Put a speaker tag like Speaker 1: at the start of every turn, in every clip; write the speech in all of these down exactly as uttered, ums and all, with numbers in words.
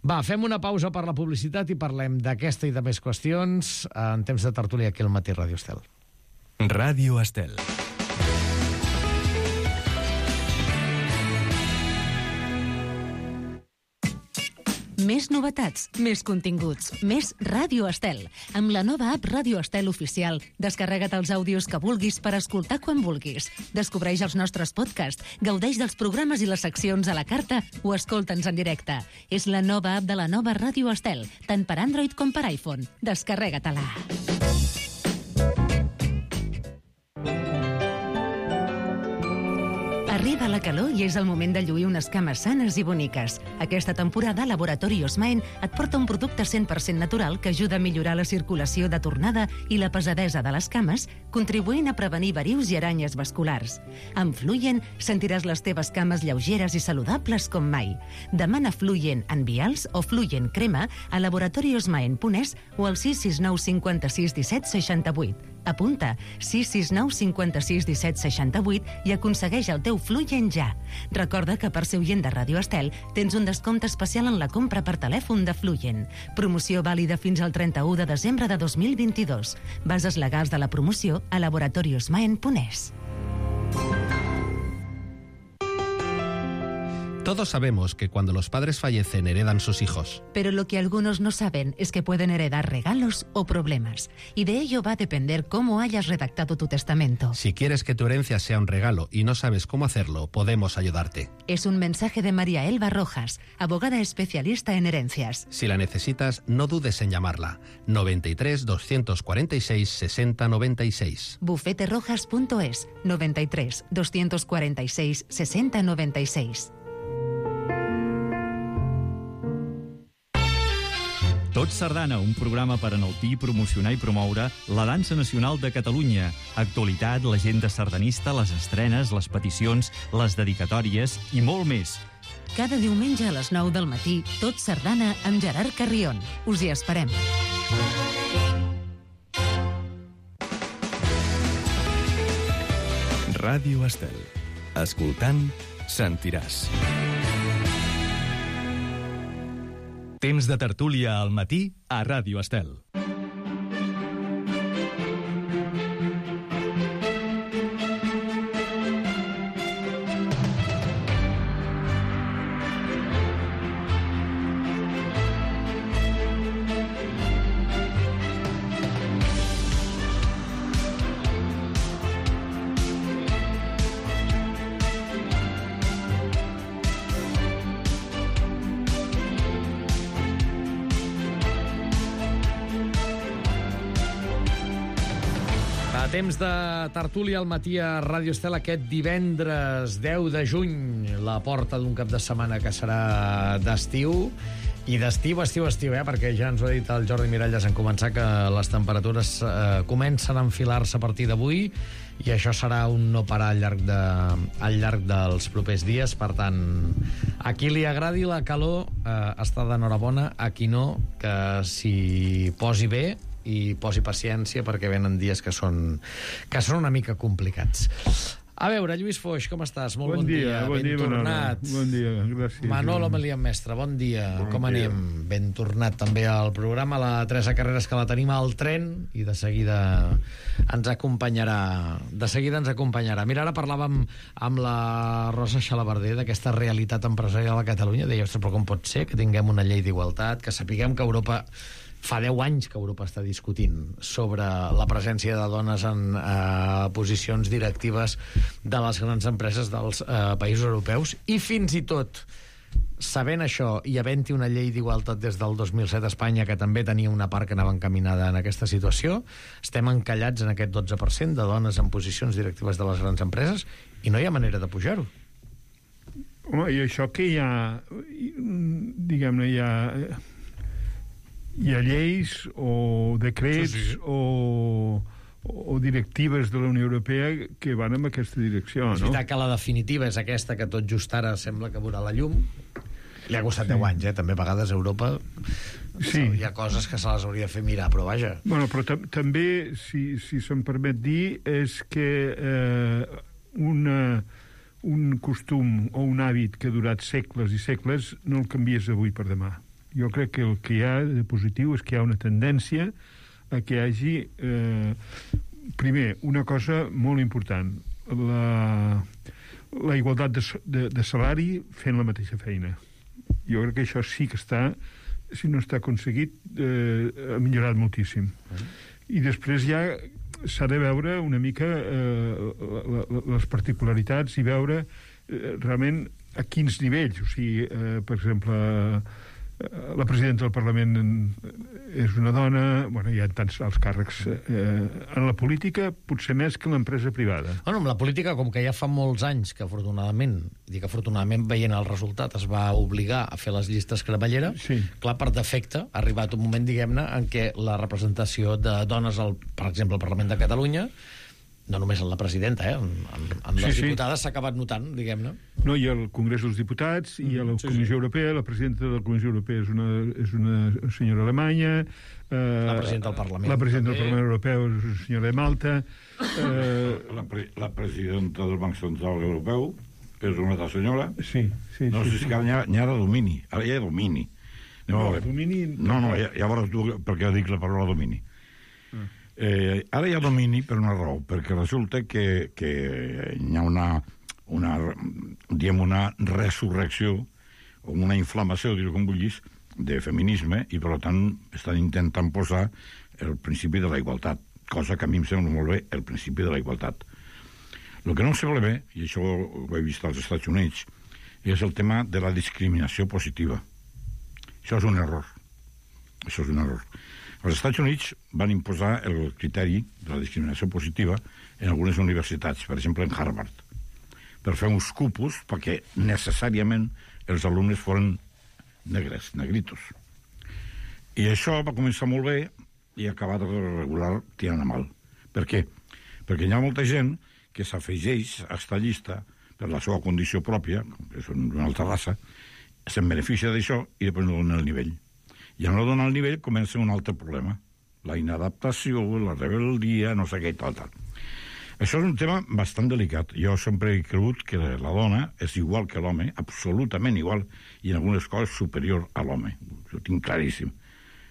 Speaker 1: Va, fem una pausa per la publicitat i parlem d'aquesta i de més qüestions en temps de tertúlia aquí al Matí Ràdio Estel.
Speaker 2: Ràdio Estel.
Speaker 3: Més novetats, més continguts, més Ràdio Estel. Amb la nova app Ràdio Estel Oficial, descarrega't els àudios que vulguis per escoltar quan vulguis. Descobreix els nostres podcasts, gaudeix dels programes i les seccions a la carta o escolta'ns en directe. És la nova app de la nova Ràdio Estel, tant per Android com per iPhone. Descarrega-te-la. Arriba la calor i és el moment de lluir unes cames sanes i boniques. Aquesta temporada, Laboratori Osmaen et porta un producte cent per cent natural que ajuda a millorar la circulació de tornada i la pesadesa de les cames, contribuint a prevenir varius i aranyes vasculars. Amb Fluyen sentiràs les teves cames lleugeres i saludables com mai. Demana Fluyen en vials o Fluyen crema a laboratoriosmaen punt es o al sis sis nou cinquanta-sis disset seixanta-vuit. Apunta sis sis nou cinquanta-sis disset seixanta-vuit i aconsegueix el teu Fluyen ja. Recorda que per ser oient de Ràdio Estel tens un descompte especial en la compra per telèfon de Fluyen. Promoció vàlida fins al trenta-u de desembre de dos mil vint-i-dos. Bases legals de la promoció a laboratoriosmaen punt es.
Speaker 4: Todos sabemos que cuando los padres fallecen heredan sus hijos.
Speaker 3: Pero lo que algunos no saben es que pueden heredar regalos o problemas. Y de ello va a depender cómo hayas redactado tu testamento.
Speaker 4: Si quieres que tu herencia sea un regalo y no sabes cómo hacerlo, podemos ayudarte.
Speaker 3: Es un mensaje de María Elba Rojas, abogada especialista en herencias.
Speaker 4: Si la necesitas, no dudes en llamarla. noventa y tres, doscientos cuarenta y seis, sesenta noventa y seis.
Speaker 3: bufete rojas punto es, noventa y tres, doscientos cuarenta y seis, sesenta noventa y seis.
Speaker 5: Tot Sardana, un programa per enaltir, promocionar i promoure la dansa nacional de Catalunya. Actualitat, l'agenda sardanista, les estrenes, les peticions, les dedicatòries i molt més.
Speaker 3: Cada diumenge a les nou del matí, Tot Sardana amb Gerard Carrion. Us hi esperem.
Speaker 2: Ràdio Estel. Escoltant, sentiràs.
Speaker 5: Temps de tertúlia al matí a Ràdio Estel.
Speaker 1: Temps de tertúlia al matí a Ràdio Estel aquest divendres deu de juny, la porta d'un cap de setmana que serà d'estiu, i d'estiu, estiu, estiu, eh? Perquè ja ens ho ha dit el Jordi Miralles en començar que les temperatures eh, comencen a enfilar-se a partir d'avui i això serà un no parar al llarg, de, al llarg dels propers dies. Per tant, a qui li agradi la calor eh, està d'enhorabona, a qui no, que s'hi posi bé i posi paciència perquè venen dies que són, que són una mica complicats. A veure, Lluís Foix, com estàs? Molt bon, bon dia,
Speaker 6: bon
Speaker 1: ben
Speaker 6: dia,
Speaker 1: tornat.
Speaker 6: Bon dia, gràcies.
Speaker 1: Manolo Melian Mestre, bon dia,
Speaker 6: bon
Speaker 1: com
Speaker 6: dia.
Speaker 1: anem? Ben tornat també al programa, la Teresa Carreras, que la tenim al tren i de seguida ens acompanyarà. De seguida ens acompanyarà. Mira, ara parlàvem amb la Rosa Xalabarder d'aquesta realitat empresarial a Catalunya. Deia, ostres, però com pot ser que tinguem una llei d'igualtat, que sapiguem que Europa... Fa deu anys que Europa està discutint sobre la presència de dones en eh, posicions directives de les grans empreses dels eh, països europeus, i fins i tot sabent això i havent-hi una llei d'igualtat des del dos mil set a Espanya que també tenia una part que anava encaminada en aquesta situació, estem encallats en aquest dotze per cent de dones en posicions directives de les grans empreses i no hi ha manera de pujar-ho.
Speaker 6: Home, i això que hi ha, diguem-ne, hi ha... hi ha lleis o decrets sí, sí. O, o directives de la Unió Europea que van en aquesta direcció,
Speaker 1: és
Speaker 6: no? És
Speaker 1: veritat que la definitiva és aquesta, que tot just ara sembla que veurà la llum. Li ha costat sí. deu anys, eh? També a vegades a Europa sí. hi ha coses que se les hauria de fer mirar, però vaja.
Speaker 6: Bueno, però tam també, si, si se'm permet dir, és que eh, una, un costum o un hàbit que ha durat segles i segles no el canvies d'avui per demà. Jo crec que el que hi ha de positiu és que hi ha una tendència a que hi hagi, eh, primer, una cosa molt important, la, la igualtat de, de, de salari fent la mateixa feina. Jo crec que això sí que està, si no està aconseguit, eh, ha millorat moltíssim. I després ja s'ha de veure una mica eh, la, la, les particularitats i veure eh, realment a quins nivells. O sigui, eh, per exemple, la presidenta del Parlament és una dona, bueno, hi ha tants alts càrrecs eh, en la política, potser més que en l'empresa privada.
Speaker 1: Bueno, en la política, com que ja fa molts anys que afortunadament, dic afortunadament veient el resultat, es va obligar a fer les llistes cremallera, sí. Clar, per defecte, ha arribat un moment, diguem-ne, en què la representació de dones, al, per exemple, al Parlament de Catalunya, no només en la presidenta, eh? en, en, en les sí, diputades s'ha sí. acabat notant, diguem-ne.
Speaker 6: No, i al Congrés dels Diputats, i a la sí, Comissió sí. Europea, la presidenta de la Comissió Europea és una, és una senyora alemanya, eh,
Speaker 1: la presidenta del Parlament.
Speaker 6: La presidenta del Parlament Europeu és una senyora de Malta.
Speaker 7: Eh, la, pre la presidenta del Banc Central Europeu és una altra senyora.
Speaker 6: Sí, sí.
Speaker 7: No
Speaker 6: sí,
Speaker 7: sé
Speaker 6: sí.
Speaker 7: si ara hi ha de domini. Ara hi ha domini.
Speaker 6: No, domini...
Speaker 7: No, no, ja, ja veuràs tu perquè dic la paraula domini. Ah. Eh, ara hi ha domini per una raó, perquè resulta que, que hi ha una, una, diguem, una resurrecció o una inflamació, dir-ho com vulguis, de feminisme, i per tant estan intentant posar el principi de la igualtat, cosa que a mi em sembla molt bé, el principi de la igualtat. El que no em sembla bé, i això ho he vist als Estats Units, és el tema de la discriminació positiva. Això és un error. Això és un error. Els Estats Units van imposar el criteri de la discriminació positiva en algunes universitats, per exemple en Harvard, per fer uns cupos perquè necessàriament els alumnes foren negres, negritos. I això va començar molt bé i ha acabat regular tirant a mal. Per què? Perquè hi ha molta gent que s'afegeix a esta llista per la seva condició pròpia, que és una altra raça, se'n beneficia d'això i després no dona el nivell. I a no donar el nivell comença un altre problema. La inadaptació, la rebeldia, no sé què i tal, tal. Això és un tema bastant delicat. Jo sempre he cregut que la dona és igual que l'home, absolutament igual, i en algunes coses superior a l'home. Ho tinc claríssim.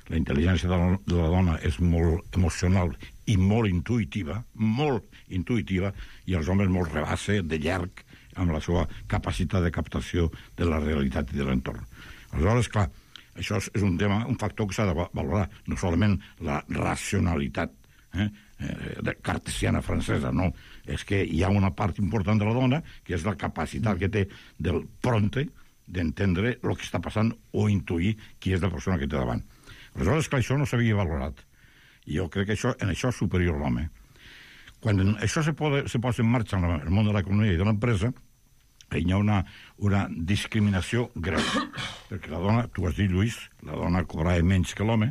Speaker 7: La intel·ligència de la, de la dona és molt emocional i molt intuïtiva, molt intuïtiva, i els homes molt rebassa, de llarg, amb la seva capacitat de captació de la realitat i de l'entorn. Aleshores, clar, això és un tema, un factor que s'ha de valorar, no solament la racionalitat eh, eh, cartesiana francesa, no. És que hi ha una part important de la dona que és la capacitat que té del prompte d'entendre el que està passant o intuir qui és la persona que té davant. Aleshores, clar, això no s'havia valorat. I jo crec que això, en això és superior l'home. Quan això se, pode, se posa en marxa en el món de l'economia i de l'empresa, hi ha una, una discriminació greu, perquè la dona, tu has dit, Lluís, la dona cobrava menys que l'home,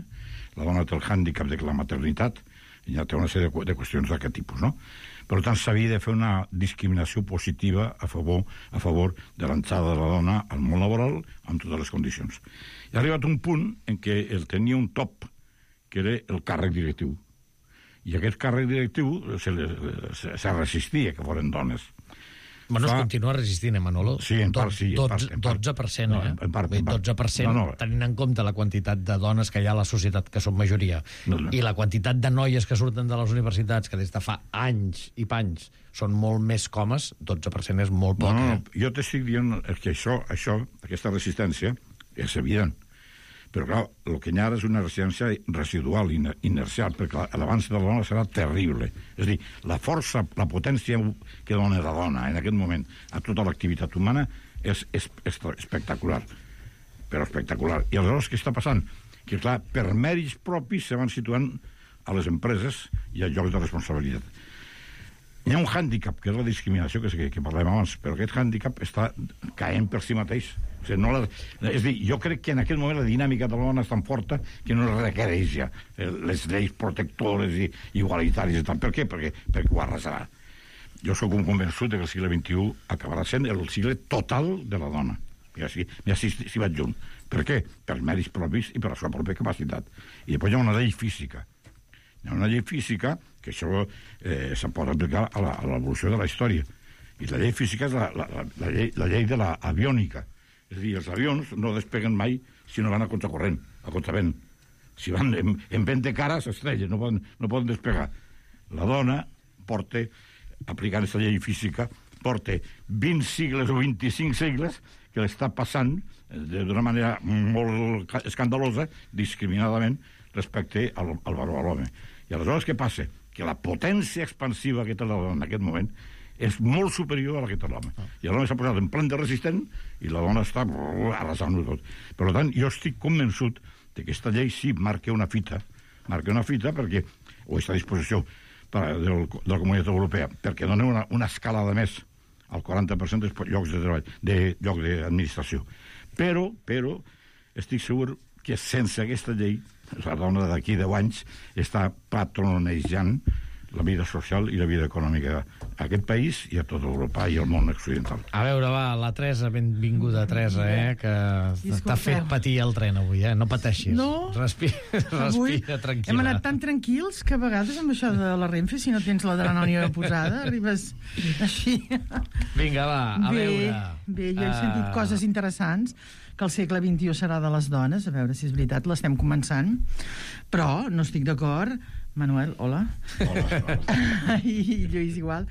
Speaker 7: la dona té el hàndicap de la maternitat, i ja té una sèrie de, de qüestions d'aquest tipus, no? Per tant, s'havia de fer una discriminació positiva a favor, a favor de l'entrada de la dona al món laboral amb totes les condicions. I ha arribat un punt en què el tenia un top, que era el càrrec directiu. I aquest càrrec directiu se, se, se resistia que foren dones.
Speaker 1: Bueno, es continua resistint, eh, Manolo?
Speaker 7: Sí, en part sí. En part,
Speaker 1: en part. dotze per cent, eh?
Speaker 7: No, en part, en part.
Speaker 1: dotze per cent, no, no. Tenint en compte la quantitat de dones que hi ha a la societat, que són majoria, no, no. I la quantitat de noies que surten de les universitats, que des de fa anys i panys són molt més comes, dotze per cent és molt poc.
Speaker 7: No, no,
Speaker 1: eh?
Speaker 7: jo t'estic dient que això, això, aquesta resistència, és evident. Però, clar, el que hi ha és una resistència residual, inercial, perquè l'avance de la dona serà terrible. És a dir, la força, la potència que dona la dona en aquest moment a tota l'activitat humana és, és, és espectacular. Però espectacular. I aleshores què està passant? Que, clar, per mèrits propis se van situant a les empreses i a llocs de responsabilitat. Hi ha un hàndicap, que és la discriminació, que, que parlem abans, però aquest hàndicap està caent per si mateix. O sigui, no la, és a dir, jo crec que en aquest moment la dinàmica de la dona és tan forta que no requereix ja les lleis protectores i igualitàries i tal. Per què? Perquè, perquè ho arrasarà. Jo sóc un convençut que el segle vint-i-u acabarà sent el segle total de la dona. Ja sí, ja sí, sí vaig junt. Per què? Per mèrits propis i per la seva pròpia capacitat. I després hi ha una llei física. Hi ha una llei física que això eh, se pot aplicar a l'evolució de la història. I la llei física és la, la, la, la, llei, la llei de l'aviònica. És a dir, els avions no despeguen mai si no van a contracorrent, a contravent. Si van en, en vent de cara, s'estrellen, no poden, no poden despegar. La dona porta, aplicant aquesta llei física, porta vint segles o vint-i-cinc segles que l'està passant d'una manera molt escandalosa, discriminadament, respecte al, al varó, a l'home. I aleshores què passa? Que la potència expansiva que té la dona en aquest moment és molt superior a la que té l'home. I l'home s'ha posat en plan de resistent i la dona està arrasant-ho tot. Per tant, jo estic convençut que aquesta llei sí marca una fita, marca una fita perquè, o està a disposició per, de, de la Comunitat Europea, perquè dona una, una escalada més al quaranta per cent dels llocs de treball, de llocs d'administració. Però, però, estic segur que sense aquesta llei, la dona d'aquí deu anys està patronejant la vida social i la vida econòmica a aquest país i a tota Europa i al món occidental.
Speaker 1: A veure, va, la Teresa, benvinguda, Teresa, eh, que t'ha fet patir el tren avui, eh? No pateixis.
Speaker 8: No.
Speaker 1: Respira, respira tranquil·la.
Speaker 8: Hem anat tan tranquils que a vegades amb això de la Renfe, si no tens l'adrenalina posada, arribes així.
Speaker 1: Vinga, va, a
Speaker 8: bé,
Speaker 1: veure.
Speaker 8: Bé, jo he sentit uh... coses interessants, que el segle vint-i-u serà de les dones, a veure si és veritat, l'estem començant, però no estic d'acord. Manuel, hola.
Speaker 7: Hola, hola.
Speaker 8: I Lluís igual.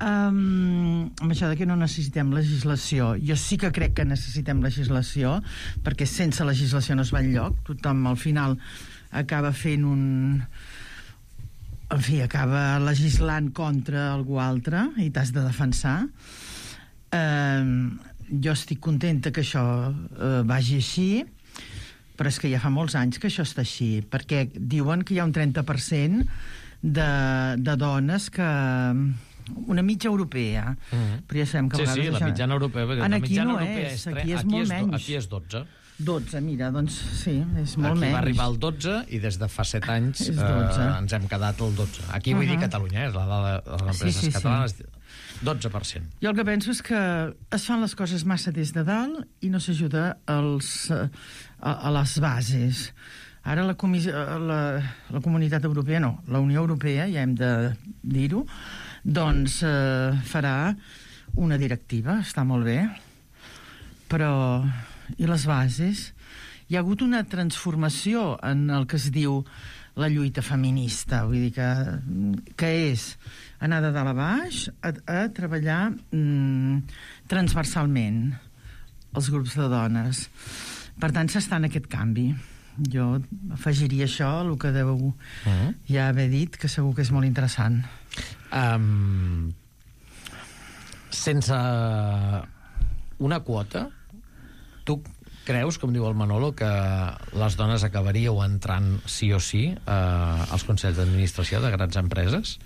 Speaker 8: Um, amb això de que no necessitem legislació, jo sí que crec que necessitem legislació, perquè sense legislació no es va enlloc. Tothom al final acaba fent un... En fi, acaba legislant contra algú altre i t'has de defensar. Um, jo estic contenta que això uh, vagi així, però és que ja fa molts anys que això està així, perquè diuen que hi ha un trenta per cent de, de dones que... Una mitja europea. Mm-hmm. Però ja sabem que a
Speaker 1: sí,
Speaker 8: vegades...
Speaker 1: sí, la mitjana europea.
Speaker 8: En
Speaker 1: la
Speaker 8: aquí
Speaker 1: mitjana
Speaker 8: no
Speaker 1: europea
Speaker 8: és,
Speaker 1: és tre...
Speaker 8: aquí és
Speaker 1: aquí
Speaker 8: molt
Speaker 1: és
Speaker 8: menys.
Speaker 1: Aquí és dotze.
Speaker 8: dotze, mira, doncs sí, és molt
Speaker 1: aquí
Speaker 8: menys.
Speaker 1: Aquí va arribar el dotze i des de fa set anys eh, ens hem quedat el dotze. Aquí vull uh-huh. dir Catalunya, eh, és la dada de les empreses sí, sí, catalanes, sí. dotze per cent.
Speaker 8: Jo el que penso és que es fan les coses massa des de dalt i no s'ajuda als, a, a les bases. Ara la, comissió, la, la Comunitat Europea, no, la Unió Europea, ja hem de dir-ho, doncs eh, farà una directiva, està molt bé, però i les bases? Hi ha hagut una transformació en el que es diu la lluita feminista, vull dir que, que és anar de dalt a baix a, a treballar mm, transversalment els grups de dones. Per tant, s'està en aquest canvi. Jo afegiria això, el que deu uh-huh. ja haver dit, que segur que és molt interessant.
Speaker 1: Um, sense una quota, tu creus, com diu el Manolo, que les dones acabaríeu entrant sí o sí eh, als consells d'administració de grans empreses?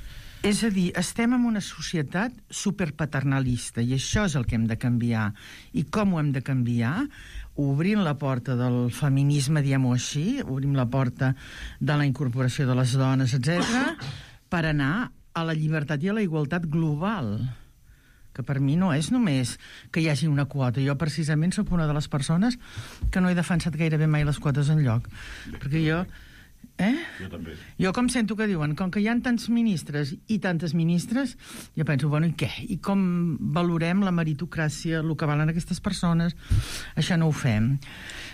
Speaker 8: És a dir, estem en una societat superpaternalista i això és el que hem de canviar. I com ho hem de canviar? Obrint la porta del feminisme, diguem-ho així, obrim la porta de la incorporació de les dones, etcètera, per anar a la llibertat i a la igualtat global, que per mi no és només que hi hagi una quota. Jo precisament sóc una de les persones que no he defensat gairebé mai les quotes enlloc, perquè jo... Eh?
Speaker 7: Jo també.
Speaker 8: Jo com sento que diuen, com que hi ha tants ministres i tantes ministres, jo penso, bueno, i què? I com valorem la meritocràcia, el que valen aquestes persones? Això no ho fem.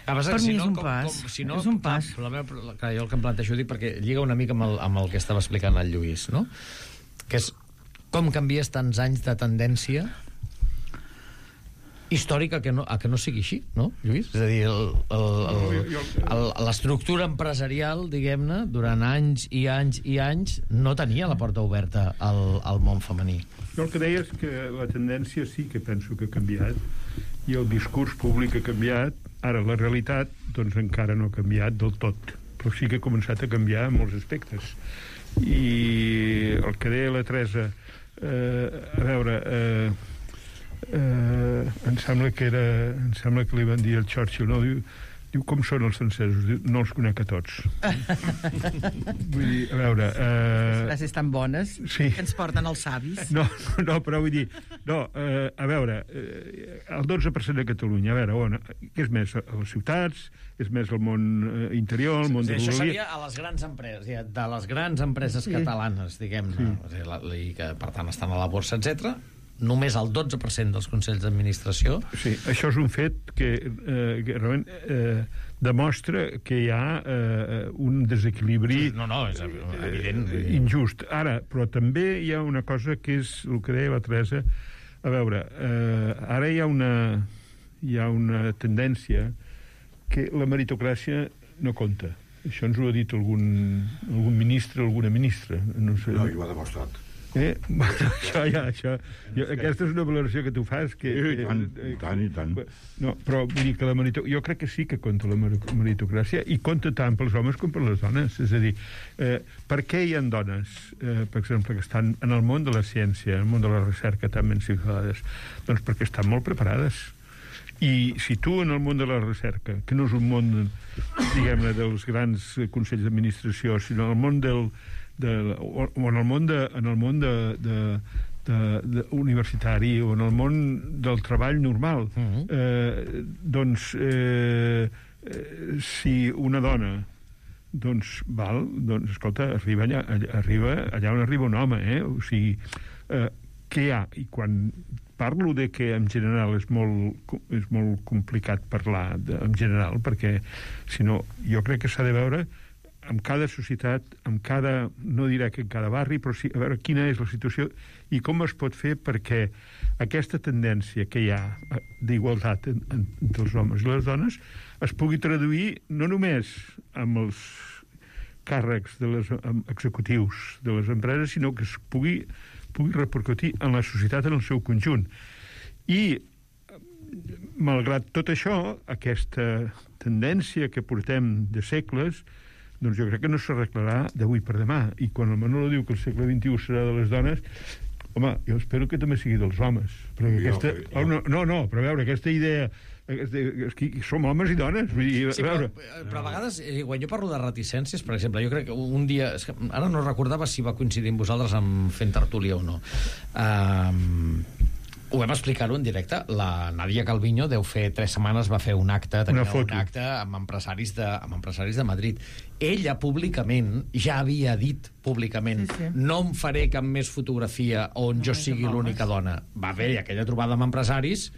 Speaker 1: Ah, per
Speaker 8: mi
Speaker 1: si
Speaker 8: és
Speaker 1: no,
Speaker 8: un
Speaker 1: com,
Speaker 8: pas.
Speaker 1: Com, si no,
Speaker 8: és un pas.
Speaker 1: La meva, clar, jo el que em planteixo dic perquè lliga una mica amb el, amb el que estava explicant el Lluís, no? Que és com canvies tants anys de tendència històrica que no, a que no sigui així, no, Lluís? És a dir, l'estructura empresarial, diguem-ne, durant anys i anys i anys no tenia la porta oberta al, al món femení.
Speaker 6: Jo el que deia és que la tendència sí que penso que ha canviat i el discurs públic ha canviat. Ara, la realitat, doncs encara no ha canviat del tot, però sí que ha començat a canviar en molts aspectes. I el que deia la Teresa, eh, a veure... Eh, Uh, em sembla que era em sembla que li van dir al Churchill, no? Diu, diu com són els francesos? Diu, no els conec a tots. Vull dir, a veure... Uh...
Speaker 8: Les frases tan bones
Speaker 6: sí.
Speaker 8: que ens porten els savis.
Speaker 6: No, no, però vull dir... No, uh, a veure, uh, el dotze per cent de Catalunya, a veure, on, què és més? A les ciutats? És més el món uh, interior, el món
Speaker 1: sí,
Speaker 6: de
Speaker 1: això
Speaker 6: l'Urologia?
Speaker 1: seria a les grans empreses, de les grans empreses sí. catalanes, diguem-ne, sí. i que per tant estan a la borsa, etcètera. només el dotze per cent dels consells d'administració.
Speaker 6: Sí, això és un fet que, eh, que realment eh, demostra que hi ha eh, un desequilibri
Speaker 1: no, no, és evident.
Speaker 6: Eh, injust. Ara, però també hi ha una cosa que és el que deia la Teresa. A veure, eh, ara hi ha una hi ha una tendència que la meritocràcia no compta. Això ens ho ha dit algun, algun ministre, alguna ministra. No sé.
Speaker 7: No, jo ho ha demostrat.
Speaker 6: Eh? això ja, això... Jo, aquesta és una valoració que tu fas que...
Speaker 7: I tant, i tant, i tant.
Speaker 6: No, però vull dir que la merito... jo crec que sí que compta la meritocràcia i compta tant pels homes com per les dones. És a dir, eh, per què hi ha dones, eh, per exemple, que estan en el món de la ciència, en el món de la recerca tan ben situades? Doncs perquè estan molt preparades. I si tu en el món de la recerca, que no és un món, diguem-ne, dels grans consells d'administració, sinó el món del De, o, o en el món, de, en el món de, de, de, de universitari o en el món del treball normal, uh-huh. eh, doncs eh, eh, si una dona doncs val, doncs escolta, arriba allà, arriba allà on arriba un home, eh? O sigui, eh, què hi ha? I quan parlo de que en general és molt, és molt complicat parlar de, en general, perquè si no, jo crec que s'ha de veure en cada societat, en cada, no diré que en cada barri, però sí, a veure quina és la situació i com es pot fer perquè aquesta tendència que hi ha d'igualtat en, en, entre els homes i les dones es pugui traduir no només amb els càrrecs de les, executius de les empreses, sinó que es pugui, pugui repercutir en la societat en el seu conjunt. I, malgrat tot això, aquesta tendència que portem de segles, doncs jo crec que no s'arreglarà d'avui per demà. I quan el Manolo diu que el segle vint-i-u serà de les dones, home, jo espero que també sigui dels homes. Perquè jo, aquesta... Jo. Oh, no, no, no, però a veure, aquesta idea... Aquesta, és que som homes i dones. Vull dir,
Speaker 1: sí,
Speaker 6: a veure...
Speaker 1: però, però a vegades, quan jo parlo de reticències, per exemple, jo crec que un dia... És que ara no recordava si va coincidir amb vosaltres amb fent tertúlia o no. Um, ho vam explicar-ho en directe. La Nadia Calviño deu fer tres setmanes va fer un acte, tenia un acte amb empresaris, de, amb empresaris de Madrid. Ella públicament ja havia dit públicament sí, sí. no em faré cap més fotografia on no, jo sigui l'única dona. Va haver aquella trobada amb empresaris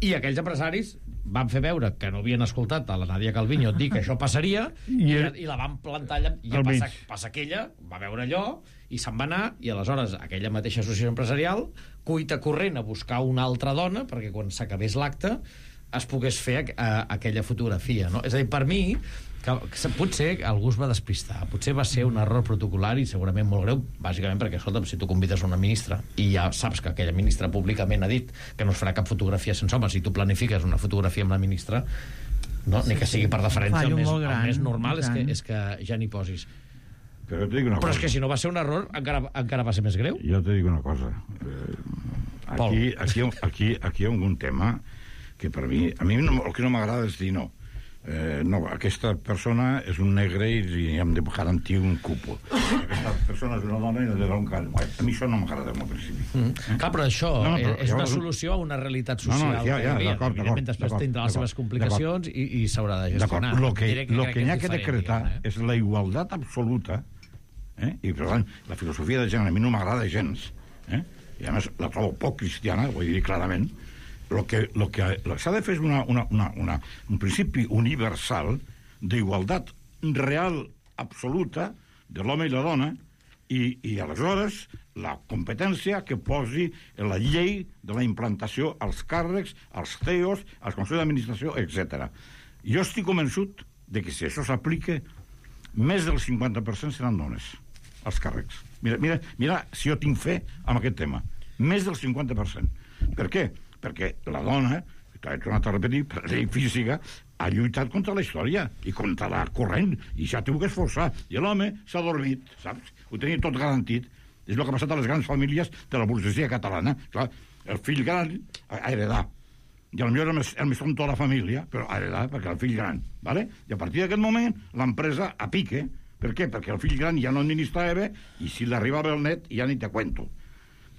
Speaker 1: i aquells empresaris van fer veure que no havien escoltat a la Nadia Calviño dir que això passaria i, el... i la van plantar allà, i passa, passa que ella va veure allò i se'n va anar, i aleshores aquella mateixa associació empresarial cuita corrent a buscar una altra dona perquè quan s'acabés l'acte es pogués fer a, a, aquella fotografia, no? És a dir, per mi que, que potser algú es va despistar, potser va ser un error protocolari, segurament molt greu, bàsicament perquè, escolta'm, si tu convides una ministra i ja saps que aquella ministra públicament ha dit que no es farà cap fotografia sense homes, si tu planifiques una fotografia amb la ministra, no? Ni que sigui per deferència, el més, el més normal és que, és que ja n'hi posis.
Speaker 7: Però, te dic una
Speaker 1: Però
Speaker 7: cosa.
Speaker 1: és que si no va ser un error, encara, encara va ser més greu.
Speaker 7: Jo te dic una cosa. Eh, aquí, aquí, aquí, aquí hi ha un tema que per mi, a mi no, el que no m'agrada és dir no. Eh, no, aquesta persona és un negre i hem de garantir un cupo. Aquesta persona és una dona i no té un cal. A mi això no m'agrada al principi.
Speaker 1: Mm. Eh? Clar, però això no, no, però és una solució a una realitat social.
Speaker 7: No, no, ja, ja, d'acord, d'acord.
Speaker 1: Després tindrà les seves complicacions i, i s'haurà de gestionar.
Speaker 7: D'acord, el que, que, lo que n'hi ha que decretar eh? és la igualtat absoluta, eh? I per tant, la filosofia de gènere a mi no m'agrada gens, eh? I a més la trobo poc cristiana, vull dir clarament. Lo que, lo que, lo que s'ha de fer és una, una, una, una, un principi universal d'igualtat real absoluta de l'home i la dona i, i aleshores la competència que posi en la llei de la implantació als càrrecs, als C E Os, als consells d'administració, etcètera. Jo estic convençut de que si això s'aplica, més del cinquanta per cent seran dones, als càrrecs. Mira, mira, mira si jo tinc fe en aquest tema. Més del cinquanta per cent. Per què? Perquè la dona, t'he tornat a repetir, per llei física, ha lluitat contra la història i contra la corrent, i s'ha tingut que esforçar. I l'home s'ha dormit, saps? Ho tenia tot garantit. És el que ha passat a les grans famílies de la burgesia catalana. Clar, el fill gran ha heredat. I potser el més, el més tonto de la família, però ha heredat perquè el fill gran. ¿Vale? I a partir d'aquest moment, l'empresa a pique. Per què? Perquè el fill gran ja no administrava bé i si l'arribava el net ja ni te cuento.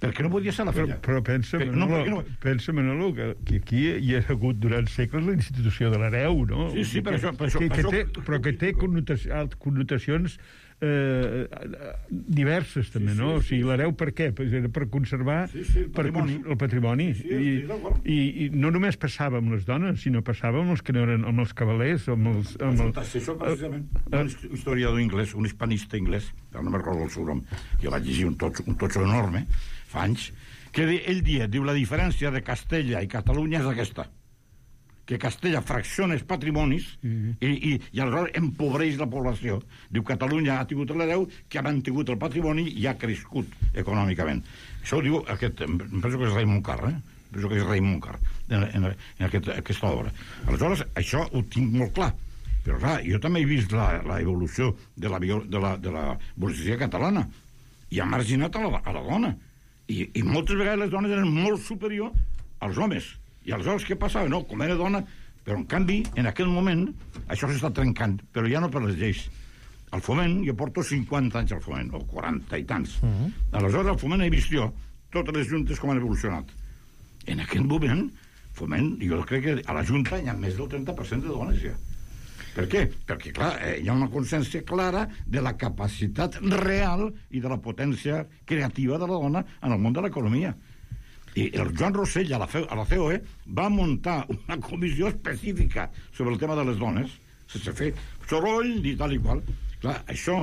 Speaker 7: Perquè no podia ser la filla.
Speaker 6: Però, però pensa, que, Manolo, no, no... pensa, Manolo, que, que aquí hi ha hagut durant segles la institució de l'hereu, no?
Speaker 7: Sí, sí, per això... Per això,
Speaker 6: que,
Speaker 7: per
Speaker 6: que
Speaker 7: això...
Speaker 6: té, però que té connotacions, connotacions eh, diverses, també,
Speaker 7: sí, sí,
Speaker 6: no?
Speaker 7: Sí,
Speaker 6: o sigui, l'hereu per què? Pues era per conservar
Speaker 7: sí, sí, el patrimoni.
Speaker 6: Per, el patrimoni.
Speaker 7: Sí,
Speaker 6: I, i, I no només passava amb les dones, sinó passava amb els que no eren, amb els cavalers, amb els... Amb el,
Speaker 7: això, precisament, un historiador anglès, un hispanista anglès, no me'n recordo el seu nom, que vaig llegir un totxo, un totxo enorme, fa anys, que ell dia, diu, la diferència de Castella i Catalunya és aquesta, que Castella fracciona els patrimonis mm-hmm. i, i, i aleshores empobreix la població. Diu, Catalunya ha tingut l'hereu que ha mantingut el patrimoni i ha crescut econòmicament. Això ho diu aquest, em penso que és Raimon Carr, eh? Penso que és Raimon Carr, en, en, en aquest, aquesta obra. Aleshores, això ho tinc molt clar. Però, clar, jo també he vist la, la evolució de la, de la, de la burgesia catalana i ha marginat a la, a la dona. I, I moltes vegades les dones eren molt superiors als homes. I aleshores què passava? No, com era dona, però en canvi, en aquell moment, això s'està trencant, però ja no per les lleis. Al Foment, jo porto cinquanta anys al Foment, o quaranta i tants. Uh-huh. Aleshores, al Foment he vist jo totes les juntes com han evolucionat. En aquell moment, Foment, jo crec que a la Junta hi ha més del trenta per cent de dones ja. Per què? Perquè, clar, hi ha una consciència clara de la capacitat real i de la potència creativa de la dona en el món de l'economia. I el Joan Rossell, a la, a la C O E, va muntar una comissió específica sobre el tema de les dones, sense fer soroll ni tal i qual. Clar, això,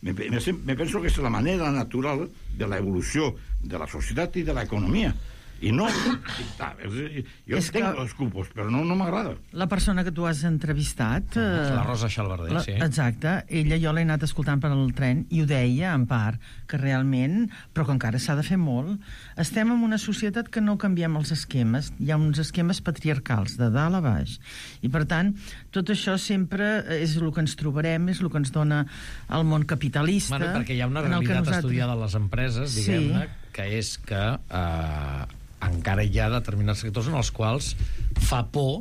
Speaker 7: me, me, me penso que és la manera natural de l'evolució de la societat i de l'economia. I no... Jo és tenc que... els culpos, però no, no m'agrada.
Speaker 8: La persona que tu has entrevistat...
Speaker 1: Eh, la Rosa Xalbarder,
Speaker 8: la,
Speaker 1: sí.
Speaker 8: Exacte. Ella, jo l'he anat escoltant per al tren i ho deia, en part, que realment, però que encara s'ha de fer molt, estem en una societat que no canviem els esquemes. Hi ha uns esquemes patriarcals, de dalt a baix. I, per tant, tot això sempre és el que ens trobarem, és el que ens dona el món capitalista...
Speaker 1: Bueno, perquè hi ha una realitat nosaltres... estudiada a les empreses, diguem-ne, sí. que és que... Eh, encara hi ha determinats sectors en els quals fa por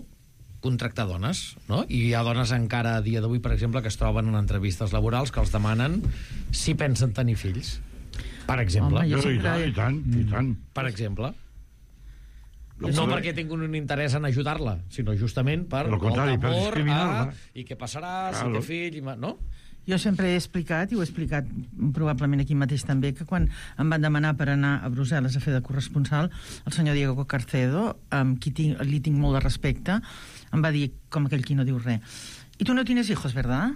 Speaker 1: contractar dones, no? I hi ha dones encara a dia d'avui, per exemple, que es troben en entrevistes laborals que els demanen si pensen tenir fills. Per exemple.
Speaker 8: Home,
Speaker 7: jo sempre... I tant, i tant.
Speaker 1: Per exemple. No no perquè tinguin un interès en ajudar-la, sinó justament per
Speaker 7: el contrari, per discriminar-la.
Speaker 1: I què passarà claro. si té fill, i no?
Speaker 8: Jo sempre he explicat, i ho he explicat probablement aquí mateix també, que quan em van demanar per anar a Brussel·les a fer de corresponsal, el senyor Diego Carcedo, amb qui tinc, li tinc molt de respecte, em va dir, com aquell qui no diu res, «I tu no tienes hijos, verdad?»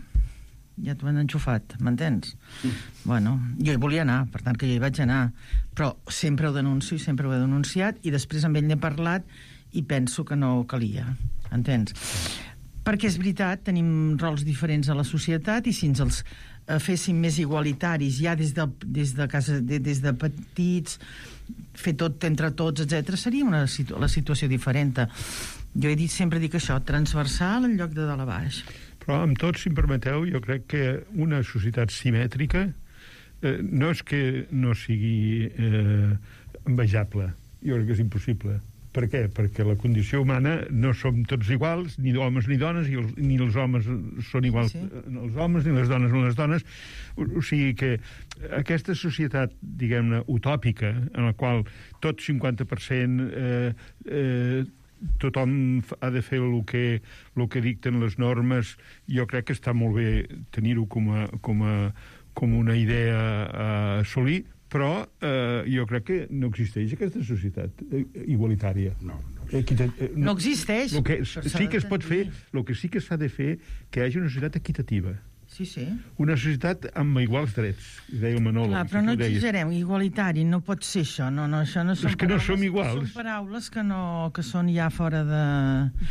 Speaker 8: Ja t'ho han enxufat, m'entens? Mm. Bueno, jo hi volia anar, per tant que jo hi vaig anar, però sempre ho denuncio i sempre ho he denunciat, i després amb ell n'he parlat i penso que no calia, entens? Perquè és veritat, tenim rols diferents a la societat i si ens els eh, féssim més igualitaris ja des de, des de, casa, de, des de petits, fer tot entre tots, etcètera, seria una situ la situació diferent. Jo he dit, sempre dic això, transversal en lloc de dalt a baix.
Speaker 6: Però amb tot, si em permeteu, jo crec que una societat simètrica eh, no és que no sigui eh, envejable, jo crec que és impossible. Per què? Perquè la condició humana no som tots iguals, ni homes ni dones, i els, ni els homes són iguals sí. els homes, ni les dones no les dones. O, o sigui que aquesta societat, diguem-ne, utòpica, en la qual tot cinquanta per cent eh, eh, tothom ha de fer el que, el que dicten les normes, jo crec que està molt bé tenir-ho com, a, com, a, com una idea a assolir, però eh, jo crec que no existeix aquesta societat eh, igualitària.
Speaker 7: No, no
Speaker 6: existeix. Eh,
Speaker 8: eh, no, no existeix.
Speaker 6: Que, sí que es pot fer, el que sí que s'ha de fer, que hi hagi una societat equitativa.
Speaker 8: Sí, sí.
Speaker 6: Una societat amb iguals drets, deia el Manolo.
Speaker 8: Clar, però no exagerem, igualitari, no pot ser això. No, no, això no són
Speaker 6: és que
Speaker 8: paraules,
Speaker 6: no som iguals.
Speaker 8: Són paraules que, no, que són ja fora de...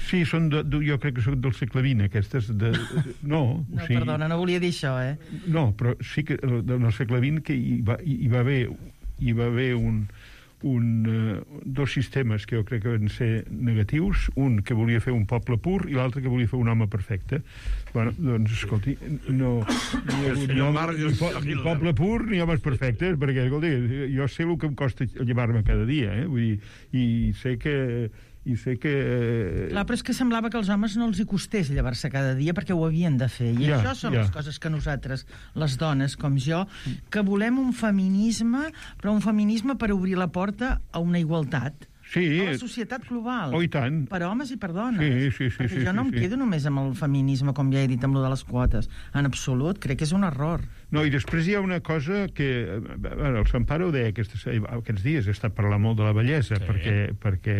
Speaker 6: Sí, són de, de, jo crec que són del segle vint, aquestes. De, no,
Speaker 8: no o sigui, perdona, no volia dir això, eh?
Speaker 6: No, però sí que del segle vint que hi va, hi va haver, hi va haver un... Un, uh, dos sistemes que jo crec que van ser negatius, un que volia fer un poble pur i l'altre que volia fer un home perfecte. Bueno, doncs, escolti, no, ni, ni, home, ni, po, ni poble pur ni homes perfectes, perquè, escolti, jo sé el que em costa llevar-me cada dia, eh? Vull dir, i sé que i sé que...
Speaker 8: Clar, però és que semblava que als homes no els hi costés llevar-se cada dia perquè ho havien de fer. I ja, això són ja. les coses que nosaltres, les dones com jo, que volem un feminisme, però un feminisme per obrir la porta a una igualtat.
Speaker 6: Sí.
Speaker 8: A la societat global.
Speaker 6: Oh, i tant.
Speaker 8: Per homes i per dones.
Speaker 6: Sí, sí, sí.
Speaker 8: Perquè
Speaker 6: sí,
Speaker 8: jo no
Speaker 6: sí,
Speaker 8: em
Speaker 6: sí.
Speaker 8: quedo només amb el feminisme, com ja he dit, amb lo de les quotes. En absolut, crec que és un error.
Speaker 6: No, i després hi ha una cosa que... A veure, el Sant Pare ho deia aquests, aquests dies, he estat parlant molt de la bellesa, sí. perquè, perquè,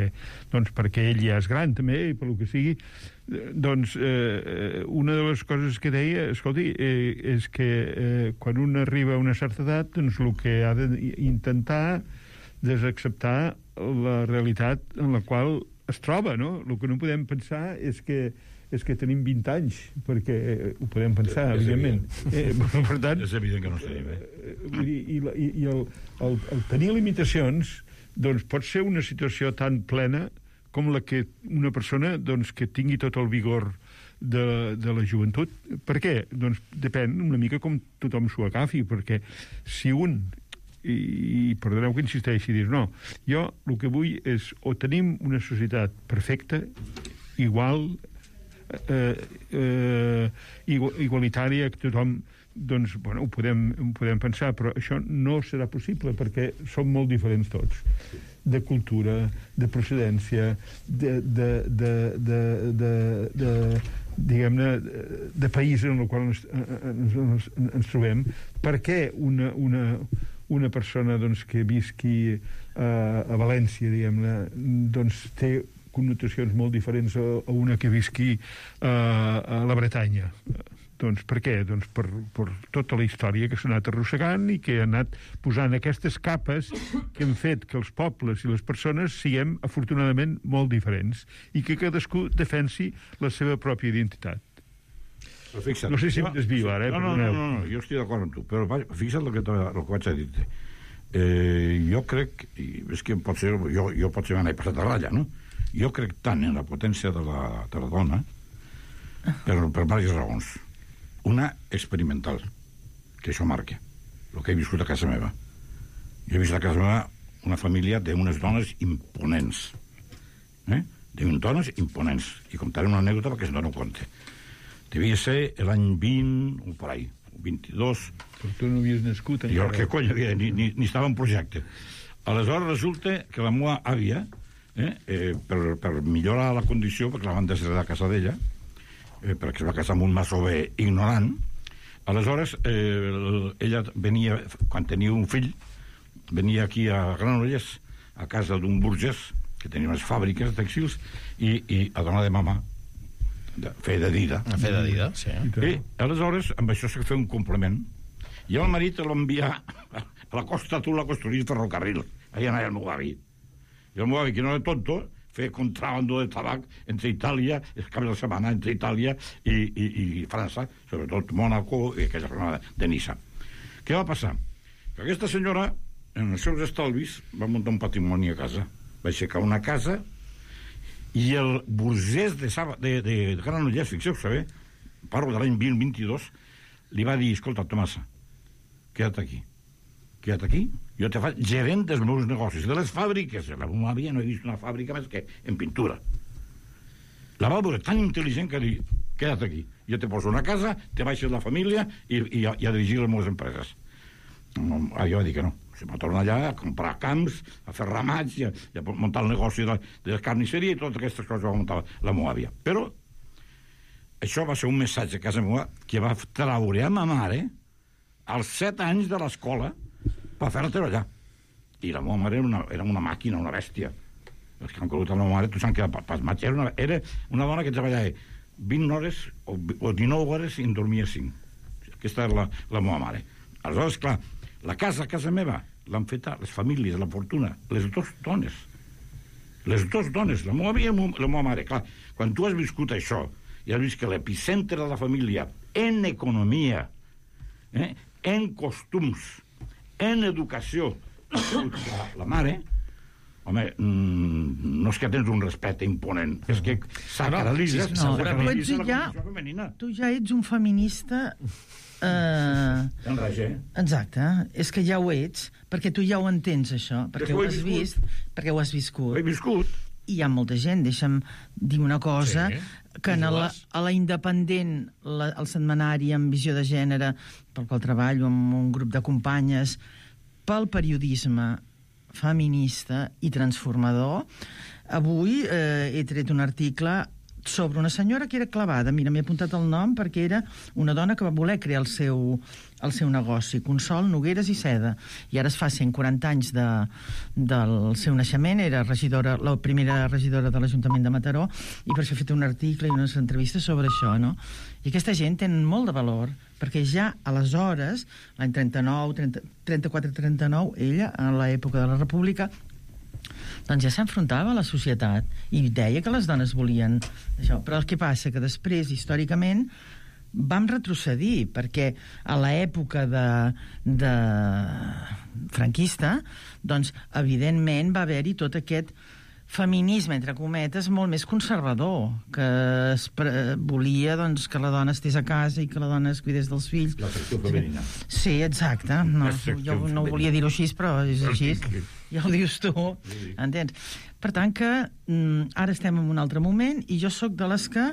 Speaker 6: doncs, perquè ell ja és gran, també, i per lo que sigui. Doncs eh, una de les coses que deia, escolti, eh, és que eh, quan un arriba a una certa edat, doncs el que ha d'intentar és acceptar la realitat en la qual es troba, no? El que no podem pensar és que és que tenim vint anys, perquè ho podem pensar,
Speaker 7: és
Speaker 6: evidentment. Eh, per tant,
Speaker 7: és evident que no estem bé.
Speaker 6: Eh, I, i, i, i el, el, el tenir limitacions doncs pot ser una situació tan plena com la que una persona doncs, que tingui tot el vigor de, de la joventut. Per què? Doncs depèn una mica com tothom s'ho agafi, perquè si un, i, i perdoneu que insisteixi, dir, no, jo el que vull és o tenim una societat perfecta, igual, eh, eh, igualitària, que tothom doncs, bueno, ho podem, ho podem pensar, però això no serà possible perquè som molt diferents tots, de cultura, de procedència, de, de, de, de, de, de diguem-ne, de país en el qual ens, ens, ens, ens trobem. Per què una, una, una persona doncs, que visqui a, a València, diguem-ne, doncs té connotacions molt diferents a, a una que visqui a, a la Bretanya? Doncs per què? Doncs per, per tota la història que s'ha anat arrossegant i que ha anat posant aquestes capes que han fet que els pobles i les persones siguem, afortunadament, molt diferents i que cadascú defensi la seva pròpia identitat.
Speaker 7: Però fixa't,
Speaker 6: no sé si em desvio ara, eh?
Speaker 7: No, no, no, no, no, jo estic d'acord amb tu, però fixa't el que, el que vaig a dir-te. Eh, jo crec, i és que pot ser, jo, jo pot ser m'he passat a ratlla, no? Jo crec tant en la potència de la, de la dona per, per diverses raons. Una experimental, que això marca el que he viscut a casa meva. Jo he vist a casa meva una família d'unes dones imponents, eh? d'unes dones imponents, i contaré una anècdota perquè se'n dona compte. Devia ser l'any vint o per ahí, vint-i-dos.
Speaker 6: Però tu no havies nascut encara.
Speaker 7: Jo, què cony, ni, ni, ni estava en projecte. Aleshores resulta que la meva àvia, eh, eh, per, per millorar la condició, perquè la van desheredar a casa d'ella, eh, perquè es va casar amb un masover ignorant, aleshores eh, ella venia, quan tenia un fill, venia aquí a Granollers, a casa d'un burgès, que tenia unes fàbriques de textils, i, i a donar de mama, de fer de dida.
Speaker 1: A fer de dida, sí.
Speaker 7: I aleshores, amb això s'ha fet un complement, i el marit l'envià a la Costa Azul a construir ferrocarril. Allà anava el meu avi. I el meu avi, que no era tonto, fer contrabando de tabac entre Itàlia, els caps de setmana entre Itàlia i, i, i França, sobretot Mònaco i aquella zona de Niça. Què va passar? Que aquesta senyora, en els seus estalvis, va muntar un patrimoni a casa. Va aixecar una casa i el burgès de, Saba, de, de, de Granollers, fixeu-vos bé, parlo de l'any vint vint-i-dos, li va dir, escolta, Tomasa, queda't aquí. Queda't aquí, jo te faig gerent dels meus negocis, de les fàbriques. La meva àvia no he vist una fàbrica més que en pintura. La va veure tan intel·ligent que dir, queda't aquí, jo te poso una casa, te baixes la família i, i, a, i a dirigir les meves empreses. Ah, jo va dir que no. Se va tornar allà a comprar camps, a fer ramats i a, i a muntar el negoci de, de la carnisseria i totes aquestes coses va muntar la meva àvia. Però això va ser un missatge a casa meva que va traure a ma mare als set anys de l'escola per fer-te allà. I la meva mare era una, era una màquina, una bèstia. Els que han conegut la meva mare, tu saps que pasmatge, era una, era una dona que treballava vint hores o, o dinou hores i en dormia cinc. Aquesta era la, la meva mare. Aleshores, clar, la casa, a casa meva, l'han fet les famílies, la fortuna, les dues dones. Les dues dones, la meva àvia i la meva mare. Clar, quan tu has viscut això i has vist que l'epicentre de la família en economia, eh, en costums, en educació, la, la mare, home, mm, no és que tens un respecte imponent, és que sacralitzes...
Speaker 8: No, però tu, ets ja, tu ja ets un feminista... Uh, exacte, és que ja ho ets, perquè tu ja ho entens, això, perquè ho has vist, perquè ho has viscut.
Speaker 7: Ho he viscut.
Speaker 8: I hi ha molta gent, deixa'm dir una cosa, sí, que a la, a la Independent, la, el setmanari amb visió de gènere, pel qual treballo amb un grup de companyes, pel periodisme feminista i transformador. Avui eh, he tret un article sobre una senyora que era clavada. Mira, m'he apuntat el nom perquè era una dona que va voler crear el seu, el seu negoci, Consol Nogueres i Seda, i ara es fa cent quaranta anys de, del seu naixement. Era regidora, la primera regidora de l'Ajuntament de Mataró, i per això he fet un article i unes entrevistes sobre això, no? I aquesta gent tenen molt de valor, perquè ja aleshores, l'any trenta-nou, trenta-quatre trenta-nou, ella, en l'època de la República, doncs ja s'enfrontava a la societat i deia que les dones volien això. Però el que passa que després, històricament, vam retrocedir, perquè a l'època de, de franquista, doncs, evidentment, va haver-hi tot aquest feminisme, entre cometes, molt més conservador, que es pre- volia doncs, que la dona estés a casa i que la dona es cuidés dels fills.
Speaker 7: La secció femenina.
Speaker 8: Sí, exacte. No, jo no volia dir-ho així, però és així. Ja ho dius tu, entens? Per tant que mm, ara estem en un altre moment i jo sóc de les que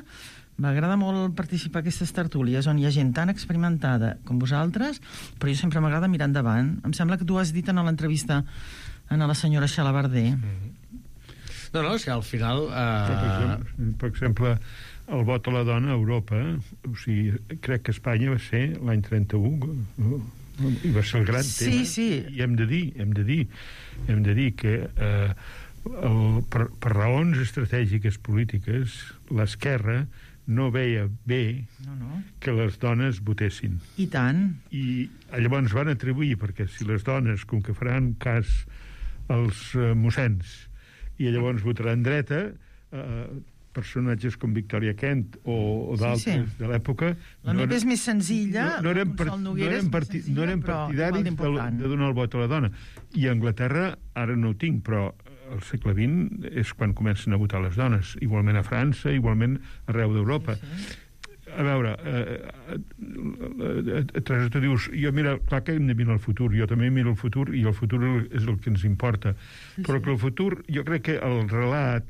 Speaker 8: m'agrada molt participar a aquestes tertúlies on hi ha gent tan experimentada com vosaltres, però jo sempre m'agrada mirar endavant. Em sembla que tu has dit en l'entrevista a la senyora Xalabarder.
Speaker 1: Mm-hmm. No, no, és que al final... Eh...
Speaker 6: Per, exemple, per exemple, el vot a la dona a Europa, o sigui, crec que Espanya va ser l'any trenta-u, no? I va ser el gran
Speaker 8: sí,
Speaker 6: tema.
Speaker 8: Sí.
Speaker 6: I hem de dir, hem de dir, hem de dir que eh, el, per, per raons estratègiques polítiques, l'esquerra no veia bé
Speaker 8: no, no.
Speaker 6: que les dones votessin.
Speaker 8: I tant.
Speaker 6: I llavors van atribuir, perquè si les dones, com que faran cas als eh, mossens, i llavors votaran dreta, eh, personatges com Victoria Kent o, o d'altres
Speaker 8: sí, sí.
Speaker 6: de l'època...
Speaker 8: La
Speaker 6: no
Speaker 8: meva és més senzilla,
Speaker 6: no, no eren, part, no eren, parti, no eren partidaris de, de donar el vot a la dona. I a Anglaterra, ara no ho tinc, però al segle vint és quan comencen a votar les dones. Igualment a França, igualment arreu d'Europa. Sí, sí. A veure, eh, eh, eh, Teresa, tu dius, jo mira, clar que hem de mirar el futur, jo també miro el futur i el futur és el que ens importa, sí, però sí. Que el futur, jo crec que el relat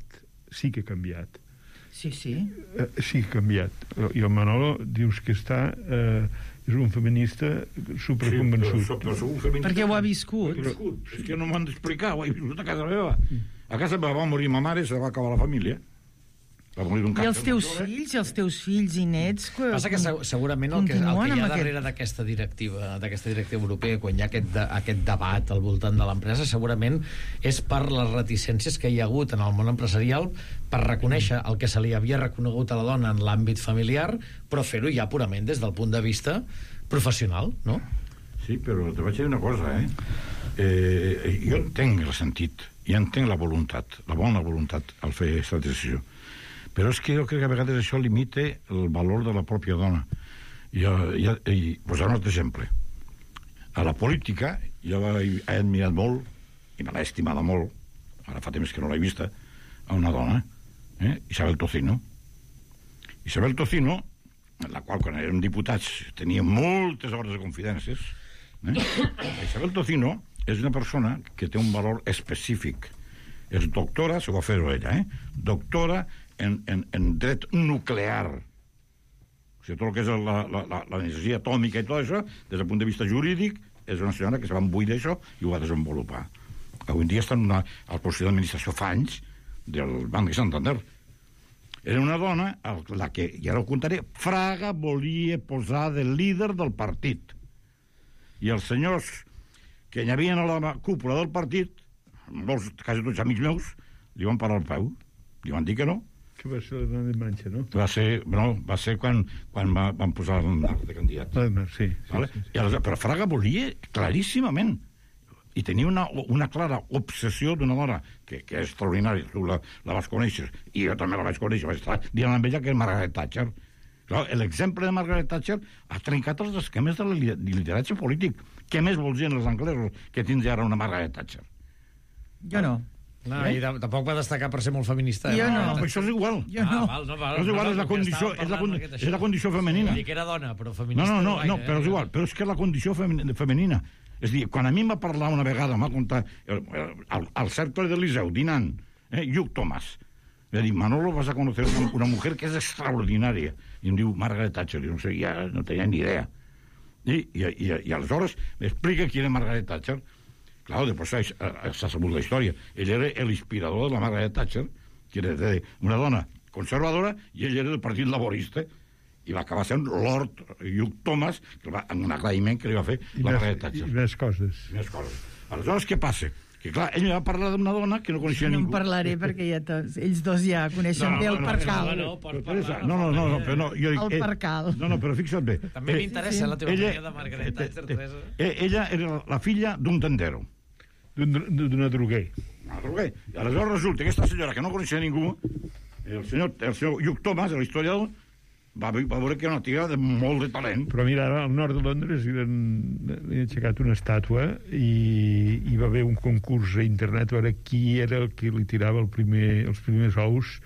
Speaker 6: sí que ha canviat.
Speaker 8: Sí, sí.
Speaker 6: Eh, sí que ha canviat. I el Manolo dius que està... Eh, és un feminista superconvençut.
Speaker 7: Sí, però, però feminista,
Speaker 8: perquè ho ha viscut.
Speaker 7: Però, és que no m'han d'explicar, ho he viscut a casa meva. A casa meva va morir ma mare i se va acabar la família.
Speaker 8: I els teus fills, i els teus fills i nets... Que
Speaker 1: Passa que segurament el que, el que hi ha darrere d'aquesta directiva, d'aquesta directiva europea, quan hi ha aquest, de, aquest debat al voltant de l'empresa, segurament és per les reticències que hi ha hagut en el món empresarial per reconèixer el que se li havia reconegut a la dona en l'àmbit familiar, però fer-ho ja purament des del punt de vista professional, no?
Speaker 7: Sí, però te vaig dir una cosa, eh? eh jo entenc el sentit, i entenc la voluntat, la bona voluntat al fer aquesta decisió. Però és que jo crec que a vegades això limita el valor de la pròpia dona. I, i, i posar un altre exemple. A la política, jo he admirat molt, i me l'he estimada molt, ara fa temps que no l'he vista, a una dona, eh? Isabel Tocino. Isabel Tocino, en la qual, quan érem diputats, tenia moltes hores de confidències, eh? Isabel Tocino és una persona que té un valor específic. És doctora, se va fer-ho ella, eh? Doctora En, en, en dret nuclear. O sigui, tot el que és la, la, la, l'energia atòmica i tot això, des del punt de vista jurídic, és una senyora que se va embuir d'això i ho va desenvolupar. Avui en dia està en una, al Consell d'Administració fa anys del Banc de Santander. Era una dona a la que, ja ho contaré, Fraga volia posar de líder del partit. I els senyors que hi havia a la cúpula del partit, molts, quasi tots amics meus, li van parar el peu. Li van dir que no.
Speaker 6: Que va ser la de Manxa, no?
Speaker 7: Va ser, no, va ser quan, quan va, van posar el Mar de candidat.
Speaker 6: Ah, sí, sí,
Speaker 7: vale?
Speaker 6: sí, sí.
Speaker 7: I aleshores, però Fraga volia claríssimament, i tenia una, una clara obsessió d'una dona que, que és extraordinària, tu la, la vas conèixer, i jo també la vaig conèixer, vaig estar dient amb ella que és Margaret Thatcher. L'exemple de Margaret Thatcher ha trencat els esquemes de lideratge polític. Què més vols dir els anglesos que tindre ara una Margaret Thatcher?
Speaker 8: Jo no.
Speaker 1: No, eh? I tampoc va destacar per ser molt feminista. Eh?
Speaker 8: Jo no.
Speaker 7: no, no això és igual.
Speaker 8: Jo no.
Speaker 1: Ah, val, no, val,
Speaker 7: és igual,
Speaker 1: no,
Speaker 7: és la condició, és la, és la condició femenina.
Speaker 1: Vull dir que era dona, però feminista...
Speaker 7: No, no, no,
Speaker 1: gaire,
Speaker 7: no però és igual, però és que la condició femenina. És a dir, quan a mi em va parlar una vegada, m'ha contat, al, al cercle de Liceu, dinant, eh, Lluc Tomàs, va dir, Manolo, vas a conocer una, una mujer que és extraordinària. I em diu, Margaret Thatcher, jo no sé, ja no tenia ni idea. I, i, i, i aleshores m'explica qui era Margaret Thatcher. Clar, després s'ha sabut la història. Ell era l'inspirador de la Margaret Thatcher, que era una dona conservadora, i ell era del Partit Laborista, i va acabar sent Lord Hugh Thomas, que va, en un agraïment que li va fer
Speaker 6: I
Speaker 7: la
Speaker 6: més,
Speaker 7: Margaret Thatcher.
Speaker 6: I més coses.
Speaker 7: I més coses. Aleshores, què passa? Que, clar, ell va parlar d'una dona que no coneixia
Speaker 8: no
Speaker 7: ningú.
Speaker 8: No en parlaré, perquè ja tots, ells dos ja coneixen
Speaker 7: No, no,
Speaker 8: bé el
Speaker 7: no, no,
Speaker 8: percal.
Speaker 1: no, no, pot
Speaker 7: Teresa,
Speaker 1: parlar,
Speaker 7: no, no, no, no, però no, jo dic,
Speaker 8: El
Speaker 7: eh,
Speaker 8: percal.
Speaker 7: No, no, però fixa't bé.
Speaker 1: També
Speaker 7: Eh,
Speaker 1: m'interessa la teva
Speaker 7: ella-
Speaker 1: opinió de Margaret Thatcher, Teresa.
Speaker 7: eh, Ella era la filla d'un tendero.
Speaker 6: D'un- D'una droguer.
Speaker 7: Ah, però bé, i aleshores resulta que aquesta senyora que no coneixia ningú, el senyor, el senyor Hugh Thomas, l'historiador, va, ve- va veure que era una tia de molt de talent.
Speaker 6: Però mira, ara al nord de Londres li han, li han aixecat una estàtua i hi va haver un concurs a internet a veure qui era el que li tirava el primer, els primers ous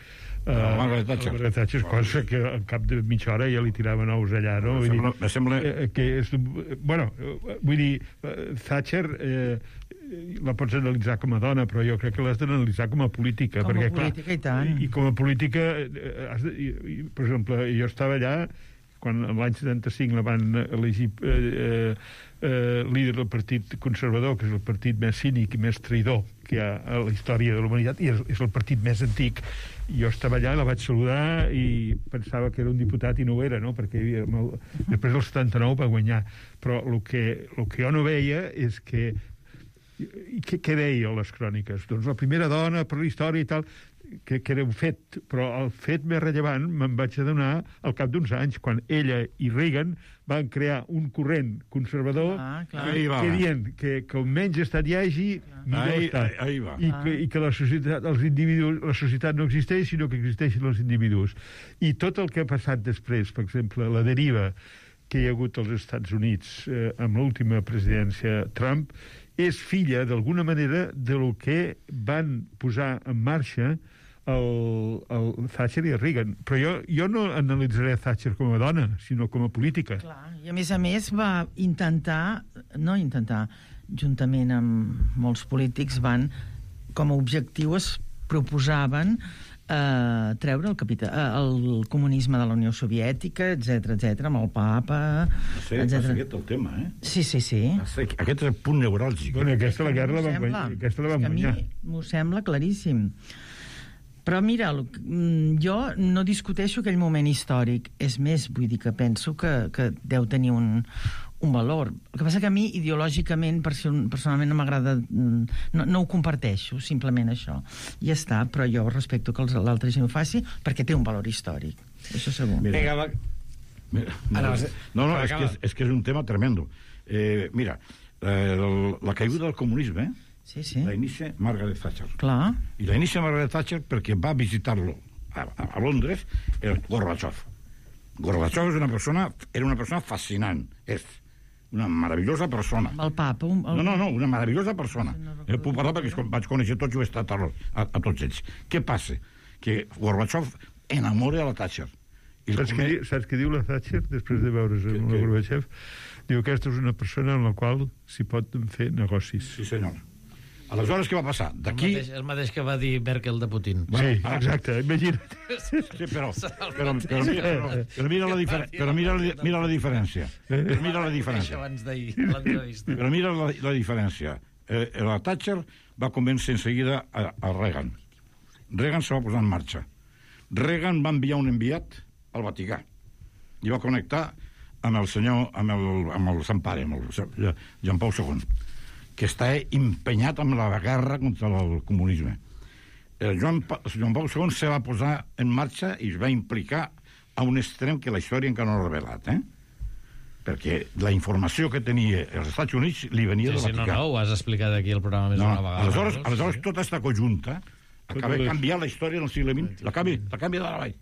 Speaker 6: a
Speaker 7: La Margaret Thatcher.
Speaker 6: la Margaret Thatcher, cosa que al cap de mitja hora ja li tiraven ous allà, no?
Speaker 7: Me
Speaker 6: Vull dir,
Speaker 7: sembla- me sembla-
Speaker 6: eh, que és, bueno, eh, vull dir, eh, Thatcher eh, la pots analitzar com a dona, però jo crec que l'has d'analitzar com a política.
Speaker 8: Com a
Speaker 6: perquè,
Speaker 8: política,
Speaker 6: clar,
Speaker 8: i tant.
Speaker 6: I com a política, eh, has de, i, i, per exemple, jo estava allà quan l'any setanta-cinc la van elegir eh, eh, líder del Partit Conservador, que és el partit més cínic i més traïdor que hi ha a la història de la humanitat, i és, és el partit més antic. Jo estava allà, la vaig saludar i pensava que era un diputat i no ho era, no? Perquè hi havia, el, després del setanta-nou va guanyar. Però el que, el que jo no veia és que i què, què deia a les cròniques? Doncs la primera dona per la història i tal, que, que era un fet, però el fet més rellevant me'n vaig adonar al cap d'uns anys, quan ella i Reagan van crear un corrent conservador
Speaker 8: Ah, clar.
Speaker 7: Ahí va.
Speaker 6: que dient que, que on menys estat hi hagi, millor
Speaker 7: Ahí,
Speaker 6: està.
Speaker 7: ahí, ahí va.
Speaker 6: I que, i que la societat, els individus, la societat no existeix, sinó que existeixen els individus. I tot el que ha passat després, per exemple, la deriva que hi ha hagut als Estats Units eh, amb l'última presidència Trump, és filla, d'alguna manera, de lo que van posar en marxa el, el Thatcher i el Reagan. Però jo, jo no analitzaré Thatcher com a dona, sinó com a política.
Speaker 8: Clar, i a més a més va intentar, no intentar, juntament amb molts polítics van, com a objectiu es proposaven eh, treure el, capita, eh, el comunisme de la Unió Soviètica, etc etc amb el papa,
Speaker 7: Sí, va ser aquest el tema, eh?
Speaker 8: Sí, sí, sí.
Speaker 7: Va ser- Aquest és el punt neuràlgic.
Speaker 6: Bueno, aquesta la guerra la
Speaker 8: M'ho
Speaker 6: van
Speaker 8: sembla.
Speaker 6: guanyar. Aquesta la
Speaker 8: És
Speaker 6: van
Speaker 8: que a mi
Speaker 6: guanyar.
Speaker 8: m'ho sembla claríssim. Però mira, el- mm, jo no discuteixo aquell moment històric. És més, vull dir que penso que, que deu tenir un, un valor. El que passa que a mi, ideològicament, person- personalment no m'agrada... mm, No, no ho comparteixo, simplement això. I ja està, però jo respecto que els- l'altra gent ho faci perquè té un valor històric. Això segur.
Speaker 7: Mira.
Speaker 1: Vinga, va.
Speaker 7: Mira,
Speaker 1: Ah, no,
Speaker 7: no, no,
Speaker 1: per
Speaker 7: és que
Speaker 1: acabar.
Speaker 7: és, és que és un tema tremendo. Eh, mira, eh, el, la caiguda del comunisme
Speaker 8: Sí, sí,
Speaker 7: la inicia Margaret Thatcher.
Speaker 8: clar.
Speaker 7: I la inicia Margaret Thatcher perquè va visitar-lo a, a, a Londres el Gorbachev. Gorbachev és una persona, era una persona fascinant. És una meravellosa persona.
Speaker 8: Amb el papa... Un, el...
Speaker 7: No, no, no, una meravellosa persona.
Speaker 8: No recordo.
Speaker 7: Jo puc parlar perquè es- vaig conèixer tots i ho he estat a, a, a tots ells. Què passa? Que Gorbachev enamora a la Thatcher. I el
Speaker 6: Saps què,
Speaker 7: come-
Speaker 6: di- saps què diu la Thatcher després de veure's amb
Speaker 7: Què-
Speaker 6: la
Speaker 7: què?
Speaker 6: Gorbachev? Diu que aquesta és una persona amb la qual s'hi pot fer negocis.
Speaker 7: Sí, senyor. Aleshores, què va passar?
Speaker 1: El
Speaker 7: D'aquí...
Speaker 1: mateix, el mateix que va dir Merkel de Putin.
Speaker 6: Sí, exacte, imagina't.
Speaker 7: Sí, però, però, però, mira, però, però mira la diferència. Però mira, la, mira la diferència. Però mira la
Speaker 1: Això
Speaker 7: diferència.
Speaker 1: abans d'ahir, a l'entrevista.
Speaker 7: Però mira la, la diferència. Eh, la Thatcher va convèncer en seguida a, a Reagan. Reagan se va posar en marxa. Reagan va enviar un enviat al Vaticà i va connectar amb el senyor, amb el, amb el Sant Pare, amb el Jean Paul segon, que està empenyat amb la guerra contra el comunisme. El Joan, pa, Joan Paul segon se va posar en marxa i es va implicar a un extrem que la història encara no ha revelat, eh? Perquè la informació que tenia els Estats Units li venia
Speaker 1: Sí,
Speaker 7: del
Speaker 1: sí, no,
Speaker 7: Vaticà.
Speaker 1: no, ho has explicat aquí al programa més
Speaker 7: No,
Speaker 1: d'una vegada.
Speaker 7: aleshores,
Speaker 1: no?
Speaker 7: aleshores tota aquesta conjunta acaba
Speaker 6: les-
Speaker 7: canviant la història del segle vint, la canvia, la canvia de la vall.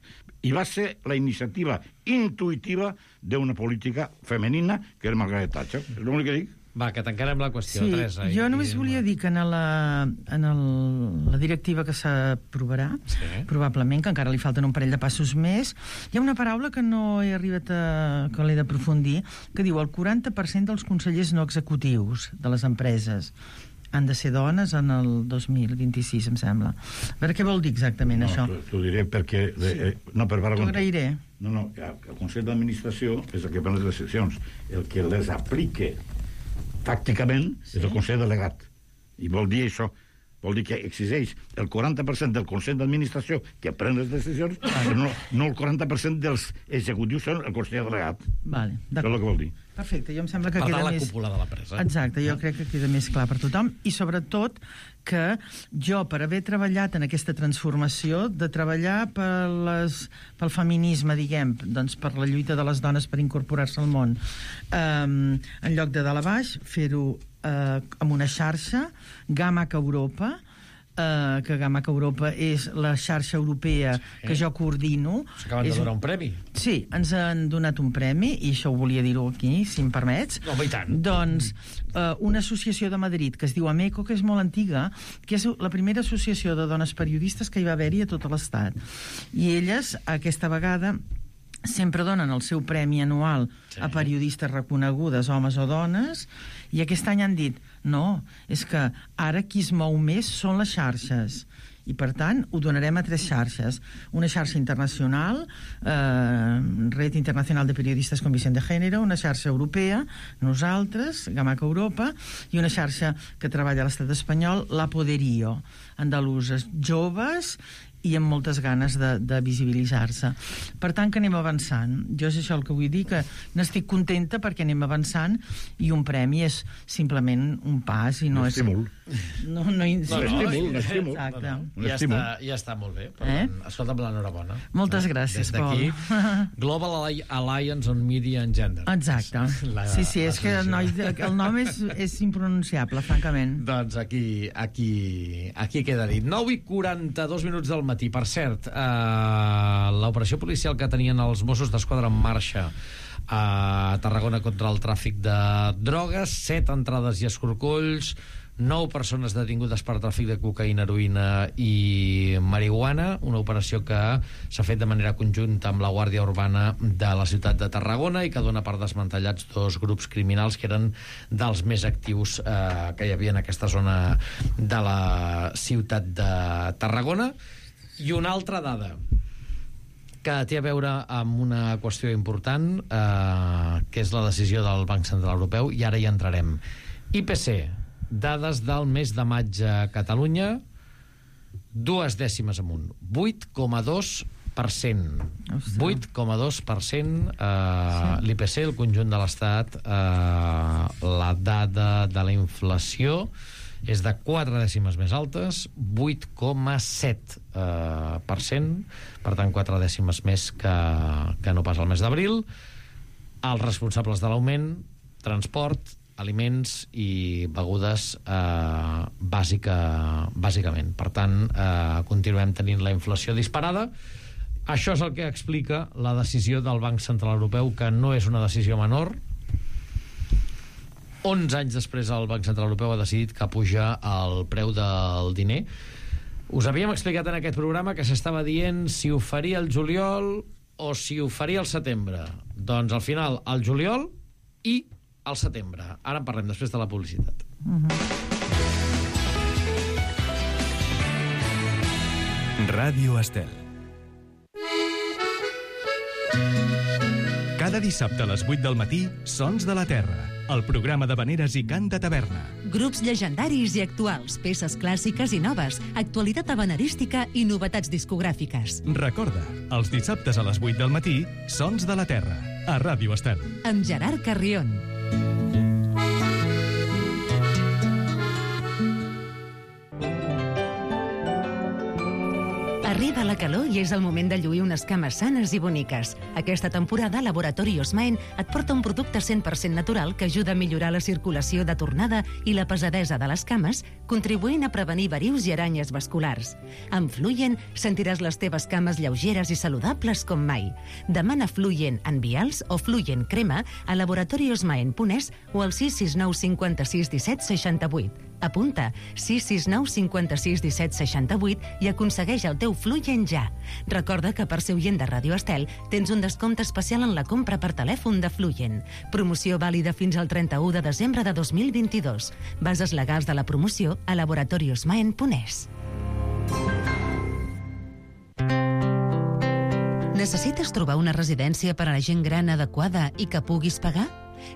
Speaker 7: I va ser la iniciativa intuïtiva d'una política femenina que era Margaret Thatcher. És l'únic que dic.
Speaker 1: Va, que tancarem la qüestió,
Speaker 8: Sí,
Speaker 1: Teresa.
Speaker 8: jo
Speaker 1: i-
Speaker 8: només
Speaker 1: i-
Speaker 8: volia dir que en la, en el, la directiva que s'aprovarà,
Speaker 1: Sí.
Speaker 8: probablement, que encara li falten un parell de passos més, hi ha una paraula que no he arribat a... que l'he d'aprofundir, que diu el quaranta per cent dels consellers no executius de les empreses han de ser dones en el dos mil vint-i-sis, em sembla. A veure què vol dir exactament,
Speaker 7: No,
Speaker 8: això.
Speaker 7: t'ho- t'ho diré perquè... Sí. Eh, no, per
Speaker 8: T'ho agrairé.
Speaker 7: No, no, el Consell d'Administració és el que pren les decisions. El que les aplique tàcticament sí. és el Consell Delegat. I vol dir això, vol dir que exigeix el quaranta per cent del Consell d'Administració que pren les decisions, però no, no el quaranta per cent dels executius són el conseller delegat.
Speaker 8: Vale,
Speaker 7: això és el que vol dir.
Speaker 8: Perfecte, jo em sembla que
Speaker 1: per
Speaker 8: queda
Speaker 1: tant, la
Speaker 8: més...
Speaker 1: cúpula de la presa.
Speaker 8: Exacte, jo crec que queda més clar per tothom, i sobretot que jo, per haver treballat en aquesta transformació, de treballar per les, pel feminisme, diguem, doncs per la lluita de les dones per incorporar-se al món, eh, en lloc de dalt a baix, fer-ho eh, amb una xarxa, Gamac Europa, Uh, que Gamac Europa és la xarxa europea sí. que jo coordino.
Speaker 1: S'acaben de donar un premi.
Speaker 8: Sí, ens han donat un premi, i això ho volia dir-ho aquí, si em permets.
Speaker 1: No, i tant.
Speaker 8: Doncs uh, una associació de Madrid que es diu AMECO, que és molt antiga, que és la primera associació de dones periodistes que hi va haver-hi a tot l'Estat. I elles, aquesta vegada, sempre donen el seu premi anual sí. a periodistes reconegudes, homes o dones, i aquest any han dit no, és que ara qui es mou més són les xarxes, i per tant ho donarem a tres xarxes. Una xarxa internacional, eh, Red Internacional de Periodistes con Visión de Género, una xarxa europea, nosaltres, Gamac Europa, i una xarxa que treballa a l'estat espanyol, La Poderío, andaluses joves i amb moltes ganes de, de visibilitzar-se. Per tant, que anem avançant. Jo és això el que vull dir, que n'estic contenta perquè anem avançant, i un premi és simplement un pas i no
Speaker 7: un
Speaker 8: és...
Speaker 7: estímul.
Speaker 8: No, no, no,
Speaker 7: un estímul, un estímul.
Speaker 8: Exacte.
Speaker 1: No, no. Ja, està, ja està molt bé. Per
Speaker 8: Eh?
Speaker 1: tant, escolta'm, l'enhorabona.
Speaker 8: Moltes gràcies,
Speaker 1: Des d'aquí,
Speaker 8: Pol.
Speaker 1: Global Alliance on Media and Gender.
Speaker 8: Exacte.
Speaker 1: La-
Speaker 8: Sí, sí, és que el, noi, el nom és, és impronunciable, francament.
Speaker 1: Doncs aquí, aquí, aquí queda dit. nou i quaranta-dos minuts del matí. Per cert, eh, l'operació policial que tenien els Mossos d'Esquadra en marxa a Tarragona contra el tràfic de drogues, set entrades i escorcolls, nou persones detingudes per tràfic de cocaïna, heroïna i marihuana, una operació que s'ha fet de manera conjunta amb la Guàrdia Urbana de la ciutat de Tarragona i que dona per desmantellats dos grups criminals que eren dels més actius eh, que hi havia en aquesta zona de la ciutat de Tarragona. I una altra dada que té a veure amb una qüestió important, eh, que és la decisió del Banc Central Europeu, i ara hi entrarem. I P C, dades del mes de maig a Catalunya, dues dècimes amunt, vuit coma dos per cent. vuit coma dos per cent eh, sí. l'I P C, el conjunt de l'Estat, eh, la dada de la inflació és de quatre dècimes més altes, vuit coma set eh, per cent, per tant quatre dècimes més que, que no pas al mes d'abril. Els responsables de l'augment, transport, aliments i begudes eh, bàsica, bàsicament. Per tant, eh, continuem tenint la inflació disparada. Això és el que explica la decisió del Banc Central Europeu, que no és una decisió menor. onze anys després el Banc Central Europeu ha decidit que puja el preu del diner. Us havíem explicat en aquest programa que s'estava dient si ho faria el juliol o si ho faria el setembre. Doncs al final el juliol i al setembre. Ara en parlem després de la publicitat.
Speaker 8: Uh-huh.
Speaker 2: Ràdio Estel. Cada dissabte a les vuit del matí, Sons de la Terra, el programa de veneres i cant de taverna.
Speaker 3: Grups llegendaris i actuals, peces clàssiques i noves, actualitat habanerística i novetats discogràfiques.
Speaker 2: Recorda, els dissabtes a les vuit del matí, Sons de la Terra, a Ràdio Estel.
Speaker 3: Amb Gerard Carrion. Arriba la calor i és el moment de lluir unes cames sanes i boniques. Aquesta temporada, Laboratori Osmaen et porta un producte cent per cent natural que ajuda a millorar la circulació de tornada i la pesadesa de les cames, contribuint a prevenir verius i aranyes vasculars. Amb Fluyen sentiràs les teves cames lleugeres i saludables com mai. Demana Fluyen en vials o Fluyen crema a laboratoriosmaen punt es o al sis sis nou cinquanta-sis disset seixanta-vuit. Apunta sis sis nou cinquanta-sis disset seixanta-vuit i aconsegueix el teu Fluyen ja. Recorda que per ser oient de Ràdio Estel tens un descompte especial en la compra per telèfon de Fluyen. Promoció vàlida fins al trenta-u de desembre de dos mil vint-i-dos. Bases legals de la promoció a laboratoriosmaen punt es. Necessites trobar una residència per a la gent gran adequada i que puguis pagar?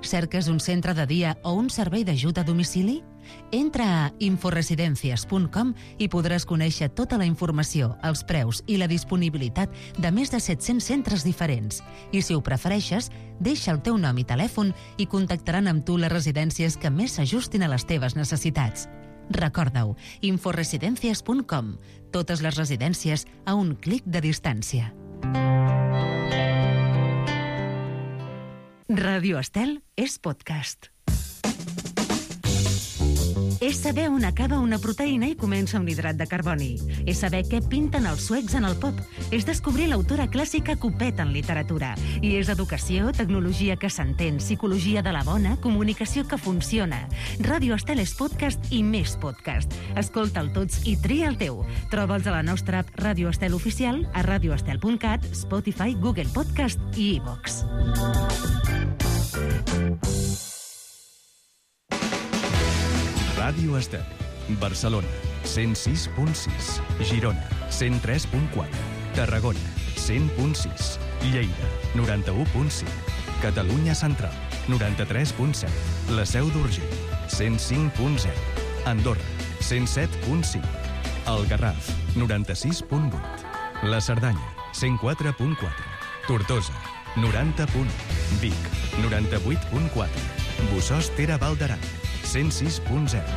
Speaker 3: Cerques un centre de dia o un servei d'ajut a domicili? Entra a inforesidencias punt com i podràs conèixer tota la informació, els preus i la disponibilitat de més de set-cents centres diferents. I si ho prefereixes, deixa el teu nom i telèfon i contactaran amb tu les residències que més s'ajustin a les teves necessitats. Recorda-ho, inforesidencias punt com. Totes les residències a un clic de distància. Ràdio Estel és podcast. És saber on acaba una proteïna i comença un hidrat de carboni. És saber què pinten els suecs en el pop. És descobrir l'autora clàssica Copet en literatura. I és educació, tecnologia que s'entén, psicologia de la bona, comunicació que funciona. Ràdio Estel és podcast i més podcast. Escolta'l tots i tria el teu. Troba'ls a la nostra app Ràdio Estel Oficial, a radioestel punt cat, Spotify, Google Podcast i iVox.
Speaker 2: Ràdio Estel. Barcelona, cent sis punt sis. Girona, cent tres punt quatre. Tarragona, cent punt sis. Lleida, noranta-u punt cinc. Catalunya Central, noranta-tres punt set. La Seu d'Urgell, cent cinc punt zero. Andorra, cent set punt cinc. El Garraf, noranta-sis punt vuit. La Cerdanya, cent quatre punt quatre. Tortosa, noranta punt u. Vic, noranta-vuit punt quatre. Bossòst Tere Val d'Aran, cent sis punt zero.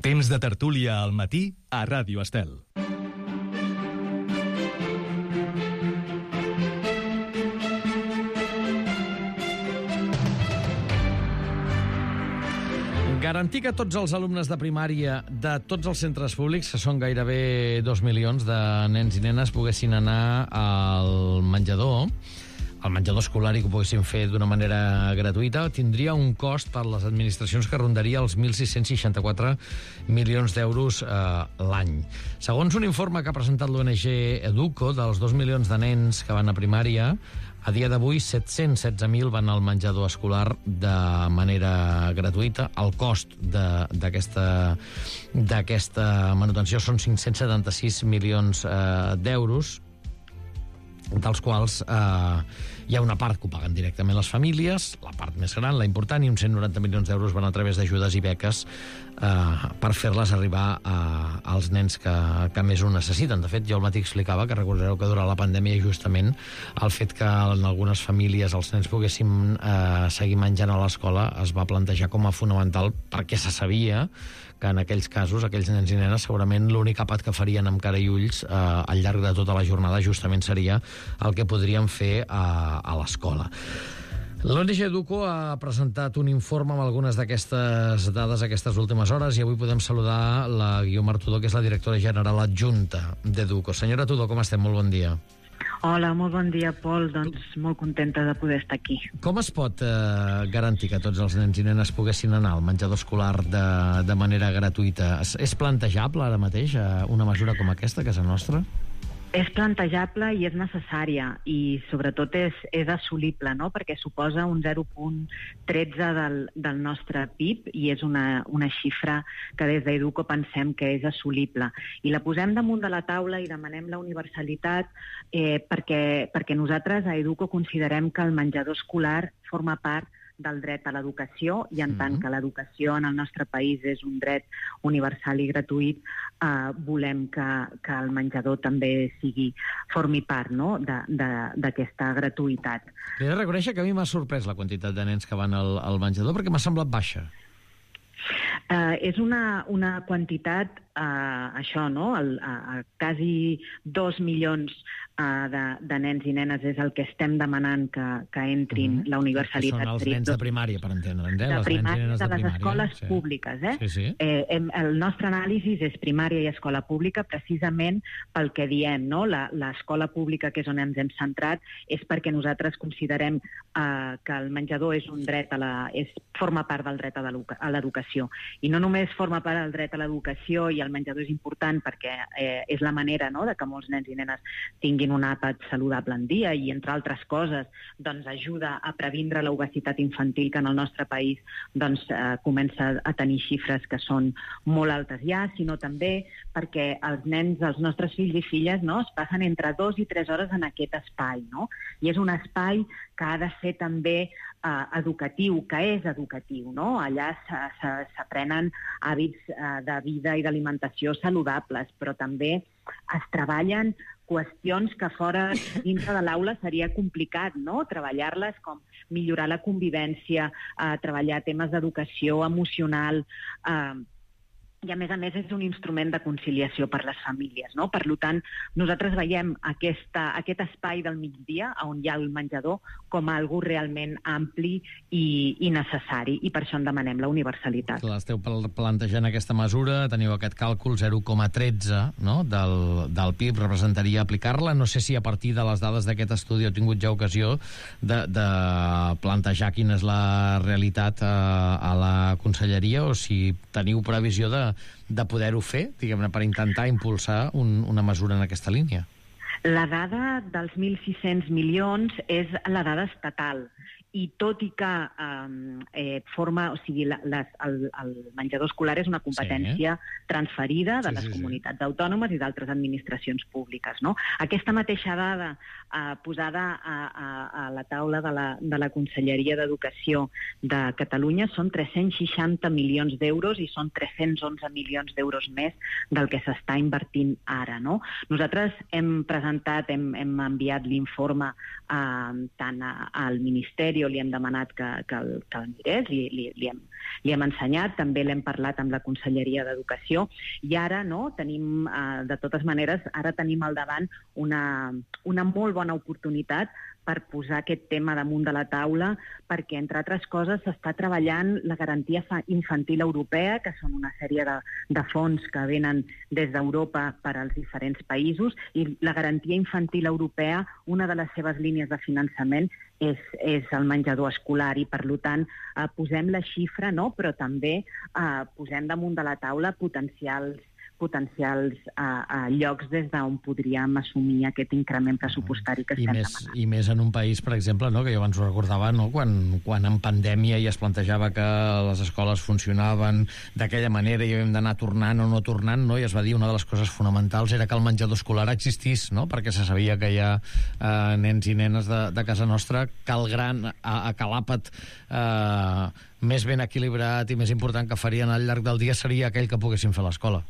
Speaker 2: Temps de tertúlia al matí a Ràdio Estel.
Speaker 1: Garantir que tots els alumnes de primària de tots els centres públics, que són gairebé dos milions de nens i nenes, poguessin anar al menjador, al menjador escolar, i que ho poguessin fer d'una manera gratuïta, tindria un cost per les administracions que rondaria els mil sis-cents seixanta-quatre milions d'euros eh, l'any. Segons un informe que ha presentat l'O N G Educo, dels dos milions de nens que van a primària, a dia d'avui, set-cents setze mil van al menjador escolar de manera gratuïta. El cost d'aquesta d'aquesta manutenció són cinc-cents setanta-sis milions eh, d'euros, dels quals eh, hi ha una part que ho paguen directament les famílies, la part més gran, la important, i uns cent noranta milions d'euros van a través d'ajudes i beques eh, per fer-les arribar a, als nens que, que més ho necessiten. De fet, jo el matí explicava que recordareu que durant la pandèmia justament el fet que en algunes famílies els nens poguessin eh, seguir menjant a l'escola es va plantejar com a fonamental, perquè se sabia que en aquells casos, aquells nens i nenes, segurament l'únic àpat que farien amb cara i ulls eh, al llarg de tota la jornada justament seria el que podrien fer a, a l'escola. L'O N G Educo ha presentat un informe amb algunes d'aquestes dades aquestes últimes hores i avui podem saludar la Guiomar Tudó, que és la directora general adjunta d'Educo. Senyora Tudó, com estem? Molt bon dia.
Speaker 9: Hola, molt bon dia, Pol. Doncs molt contenta de poder estar aquí.
Speaker 1: Com es pot eh, garantir que tots els nens i nenes poguessin anar al menjador escolar de, de manera gratuïta? És, és plantejable ara mateix eh, una mesura com aquesta a casa nostra?
Speaker 9: És plantejable i és necessària i sobretot és, és assolible, no? Perquè suposa un zero punt tretze del, del nostre P I B i és una, una xifra que des d'Educo pensem que és assolible. I la posem damunt de la taula i demanem la universalitat eh, perquè, perquè nosaltres a Educo considerem que el menjador escolar forma part del dret a l'educació i en mm-hmm. tant que l'educació en el nostre país és un dret universal i gratuït, eh, volem que, que el menjador també sigui, formi part, no?, d'aquesta gratuïtat.
Speaker 1: He de reconèixer que a mi m'ha sorprès la quantitat de nens que van al, al menjador perquè m'ha semblat baixa.
Speaker 9: Uh, és una, una quantitat, uh, això, no?, el, uh, quasi dos milions uh, de, de nens i nenes és el que estem demanant que, que entrin mm-hmm. la universalitat.
Speaker 1: Que són els nens de primària, per entendre'ns, eh?
Speaker 9: De
Speaker 1: les
Speaker 9: primària,
Speaker 1: nens i nenes
Speaker 9: de,
Speaker 1: de
Speaker 9: les
Speaker 1: primària.
Speaker 9: escoles
Speaker 1: sí.
Speaker 9: públiques, eh?
Speaker 1: Sí, sí.
Speaker 9: eh hem, el nostre anàlisi és primària i escola pública precisament pel que diem, no? L'escola pública, que és on ens hem centrat, és perquè nosaltres considerem uh, que el menjador és un dret a la, és, forma part del dret a l'educació. I no només forma part del dret a l'educació i el menjador és important perquè eh, és la manera, no?, de que molts nens i nenes tinguin un àpat saludable en dia i, entre altres coses, doncs, ajuda a previndre l'obesitat infantil, que en el nostre país doncs, eh, comença a tenir xifres que són molt altes ja, sinó també perquè els nens, els nostres fills i filles, no?, es passen entre dos i tres hores en aquest espai, no? I és un espai que ha de ser també eh, educatiu, que és educatiu, no? Allà s'aprenen hàbits eh, de vida i d'alimentació saludables, però també es treballen qüestions que fora dintre de l'aula seria complicat, no?, treballar-les, com millorar la convivència, eh, treballar temes d'educació emocional, eh, i a més a més és un instrument de conciliació per les famílies, no? Per tant, nosaltres veiem aquesta, aquest espai del migdia, on hi ha el menjador, com algo realment ampli i, i necessari, i per això en demanem la universalitat.
Speaker 1: Clar, esteu plantejant aquesta mesura, teniu aquest càlcul zero coma tretze, no?, del, del P I B, representaria aplicar-la. No sé si a partir de les dades d'aquest estudi heu tingut ja ocasió de, de plantejar quina és la realitat a, a la Conselleria, o si teniu previsió de de poder-ho fer, diguem-ne, per intentar impulsar un, una mesura en aquesta línia.
Speaker 9: La dada dels mil sis-cents milions és la dada estatal, i tot i que eh, forma, o sigui, la, les, el, el menjador escolar és una competència sí, eh? transferida de sí, les sí, comunitats sí. autònomes i d'altres administracions públiques, no? Aquesta mateixa dada eh, posada a, a, a la taula de la, de la Conselleria d'Educació de Catalunya són tres-cents seixanta milions d'euros i són tres-cents onze milions d'euros més del que s'està invertint ara, no? Nosaltres hem presentat, hem, hem enviat l'informe eh, tant a, al Ministeri, li hem demanat que, que, el, que el mirés, li, li, li, hem, li hem ensenyat, també l'hem parlat amb la Conselleria d'Educació, i ara, no, tenim, eh, de totes maneres, ara tenim al davant una, una molt bona oportunitat per posar aquest tema damunt de la taula, perquè, entre altres coses, s'està treballant la garantia infantil europea, que són una sèrie de, de fons que venen des d'Europa per als diferents països, i la garantia infantil europea, una de les seves línies de finançament és, és el menjador escolar, i, per tant, eh, posem la xifra, no?, però també eh, posem damunt de la taula potencials potencials a, a llocs des d'on podríem assumir aquest increment pressupostari que
Speaker 1: I
Speaker 9: estem
Speaker 1: més,
Speaker 9: demanant.
Speaker 1: I més en un país, per exemple, no, que jo abans ho recordava, no, quan, quan en pandèmia ja es plantejava que les escoles funcionaven d'aquella manera i havíem d'anar tornant o no tornant, no, i es va dir una de les coses fonamentals era que el menjador escolar existís, no, perquè se sabia que hi ha eh, nens i nenes de, de casa nostra que el gran, a, a que l'àpat eh, més ben equilibrat i més important que farien al llarg del dia seria aquell que poguessin fer a l'escola.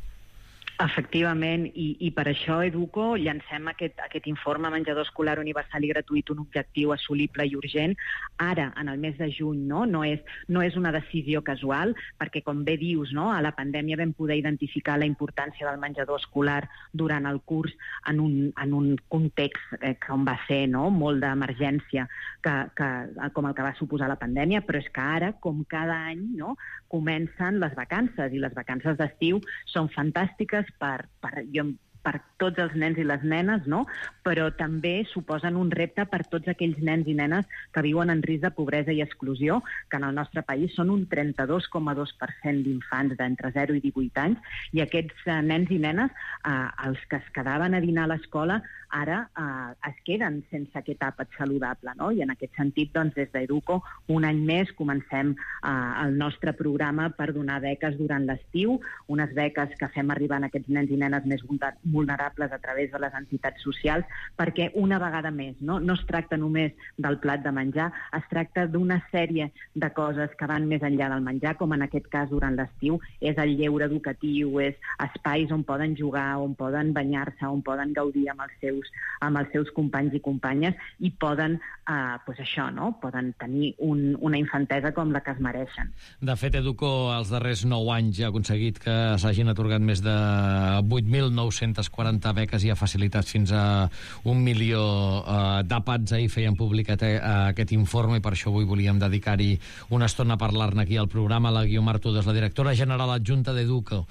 Speaker 9: Efectivament, i, i per això Educo llancem aquest, aquest informe menjador escolar universal i gratuït, un objectiu assolible i urgent, ara, en el mes de juny, no? No és, no és una decisió casual, perquè, com bé dius, no? A la pandèmia vam poder identificar la importància del menjador escolar durant el curs en un, en un context eh, com va ser, no?, molt d'emergència, que, que, com el que va suposar la pandèmia, però és que ara, com cada any, no?, comencen les vacances, i les vacances d'estiu són fantàstiques per, per, jo, per tots els nens i les nenes, no? Però també suposen un repte per tots aquells nens i nenes que viuen en risc de pobresa i exclusió, que en el nostre país són un trenta-dos coma dos per cent d'infants d'entre zero i divuit anys, i aquests eh, nens i nenes, eh, els que es quedaven a dinar a l'escola, ara eh, es queden sense aquest àpat saludable, no? I en aquest sentit, doncs, des d'Educo, un any més comencem eh, el nostre programa per donar beques durant l'estiu, unes beques que fem arribar a aquests nens i nenes més vulnerables a través de les entitats socials, perquè una vegada més, no, no es tracta només del plat de menjar, es tracta d'una sèrie de coses que van més enllà del menjar, com en aquest cas durant l'estiu, és el lleure educatiu, és espais on poden jugar, on poden banyar-se, on poden gaudir amb els seus, amb els seus companys i companyes, i poden, eh, pues això, no? Poden tenir un, una infantesa com la que es mereixen.
Speaker 1: De fet, Educo, els darrers nou anys ja ha aconseguit que s'hagin atorgat més de vuit mil nou-centes quaranta beques i ha facilitat fins a un milió eh, d'àpats. Ahir feien públic eh, aquest informe, i per això avui volíem dedicar-hi una estona a parlar-ne aquí al programa. La Guiomar Tudes, la directora general adjunta d'Educo.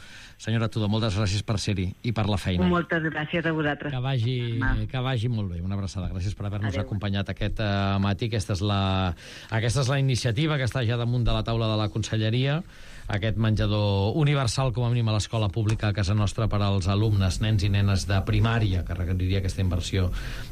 Speaker 1: Senyora Tudo, moltes gràcies per ser-hi i per la feina.
Speaker 9: Moltes gràcies a vosaltres.
Speaker 1: Que vagi, que vagi molt bé. Una abraçada. Gràcies per haver-nos acompanyat aquest uh, matí. Aquesta és, la, aquesta és la iniciativa que està ja damunt de la taula de la Conselleria. aquest menjador universal, com a mínim a l'escola pública a casa nostra per als alumnes, nens i nenes de primària, que requeriria aquesta inversió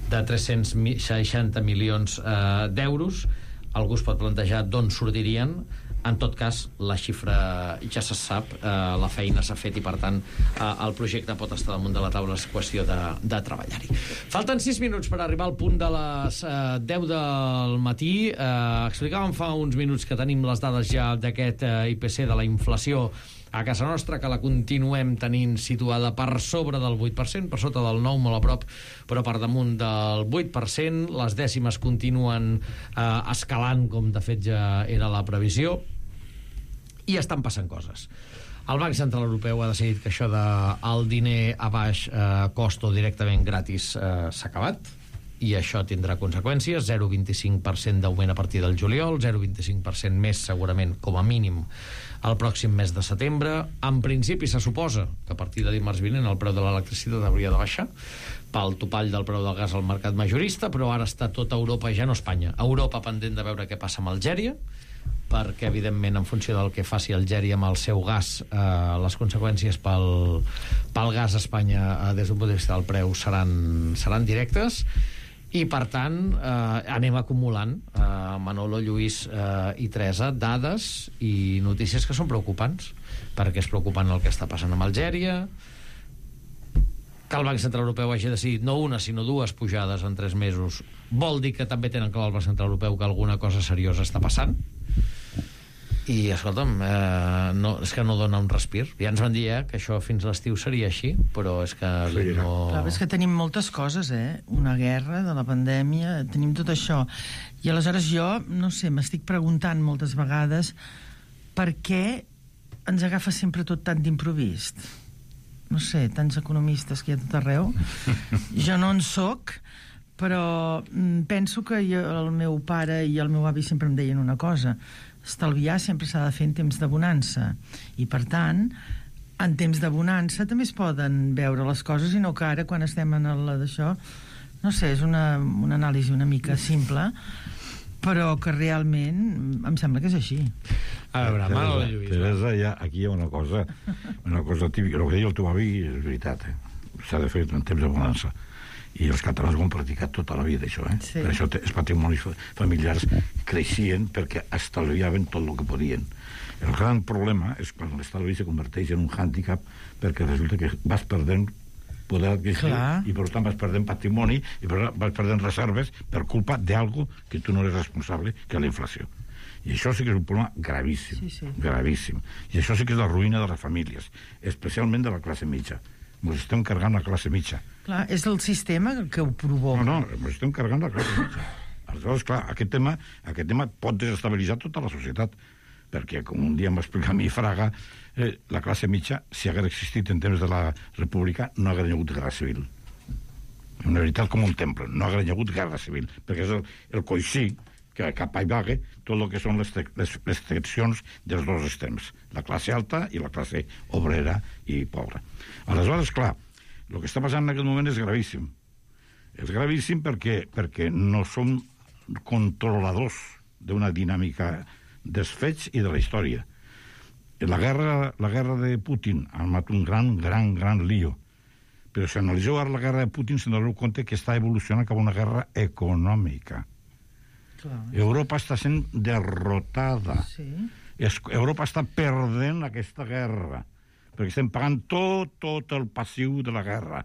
Speaker 1: de tres-cents seixanta milions eh, d'euros. Algú es pot plantejar d'on sortirien. En tot cas, la xifra ja se sap, eh, la feina s'ha fet i, per tant, eh, el projecte pot estar damunt de la taula, és qüestió de, de treballar-hi. Falten sis minuts per arribar al punt de les eh, deu del matí. Eh, explicàvem fa uns minuts que tenim les dades ja d'aquest eh, I P C de la inflació a casa nostra, que la continuem tenint situada per sobre del vuit per cent, per sota del nou, molt a prop, però per damunt del vuit per cent. Les dècimes continuen eh, escalant, com de fet ja era la previsió, i estan passant coses. El Banc Central Europeu ha decidit que això de el diner a baix eh, cost o directament gratis eh, s'ha acabat, i això tindrà conseqüències. Zero coma vint-i-cinc per cent d'augment a partir del juliol, zero coma vint-i-cinc per cent més segurament com a mínim el pròxim mes de setembre. En principi se suposa que a partir de dimarts vinent el preu de l'electricitat hauria de baixar pel topall del preu del gas al mercat majorista, però ara està tota Europa, ja no Espanya, Europa pendent de veure què passa amb Algèria, perquè evidentment en funció del que faci Algèria amb el seu gas, eh, les conseqüències pel, pel gas a Espanya eh, des d'un punt de vista del preu seran, seran directes. I, per tant, eh, anem acumulant, eh, Manolo, Lluís eh, i Teresa, dades i notícies que són preocupants, perquè és preocupant el que està passant amb Algèria, que el Banc Central Europeu hagi decidit no una, sinó dues pujades en tres mesos, vol dir que també tenen clar el Banc Central Europeu que alguna cosa seriosa està passant. I, escolta'm, eh, no, és que no dona un respir. Ja ens van dir eh, que això fins l'estiu seria així, però és que sí, no...
Speaker 8: Clar, és que tenim moltes coses, eh? Una guerra, de la pandèmia, tenim tot això. I aleshores jo, no sé, m'estic preguntant moltes vegades per què ens agafa sempre tot tan d'improvist. No sé, tants economistes que hi ha tot arreu. Jo no en soc, però penso que jo, el meu pare i el meu avi sempre em deien una cosa: estalviar sempre s'ha de fer en temps de bonança, i per tant en temps de bonança també es poden veure les coses, i no que ara quan estem en la d'això, no sé, és una, una anàlisi una mica simple, però que realment em sembla que és així.
Speaker 1: A veure, Manolo Lluís.
Speaker 7: Teresa, ja, aquí hi ha una cosa, una cosa típica. El que deia el teu avi és veritat, eh? S'ha de fer en temps de bonança. I els catalans ho han practicat tota la vida, això, eh? Sí. Per això els patrimonis familiars creixien perquè estalviaven tot el que podien. El gran problema és quan l'estalvi se converteix en un hàndicap, perquè resulta que vas perdent poder adquisitiu i per tant vas perdent patrimoni i per tant vas perdent reserves per culpa d'algo que tu no eres responsable, que és la inflació. I això sí que és un problema gravíssim, sí, sí. gravíssim. I això sí que és la ruïna de les famílies, especialment de la classe mitja. Ens estem carregant la classe mitja.
Speaker 8: Clar, és el sistema que ho provoca.
Speaker 7: No, no, ens estem carregant la classe mitja. Aleshores, clar, aquest tema, aquest tema pot desestabilitzar tota la societat, perquè, com un dia em va explicar a mi Fraga, eh, la classe mitja, si hagués existit en temps de la república, no hagués hagut guerra civil. Una veritat com un temple, no hagués hagut guerra civil, perquè és el, el coixí que cap i vague tot el que són les, les, les seccions dels dos extrems, la classe alta i la classe obrera i pobra. Aleshores, clar, el que està passant en aquest moment és gravíssim. És gravíssim perquè, perquè no som controladors d'una dinàmica dels fets i de la història. La guerra, la guerra de Putin ha armat un gran, gran, gran lío. Però si analitzeu ara la guerra de Putin, se'n doneu compte que està evolucionant cap a una guerra econòmica. Clar, Europa està sent derrotada. Sí. Europa està perdent aquesta guerra, perquè estem pagant tot, tot el passiu de la guerra.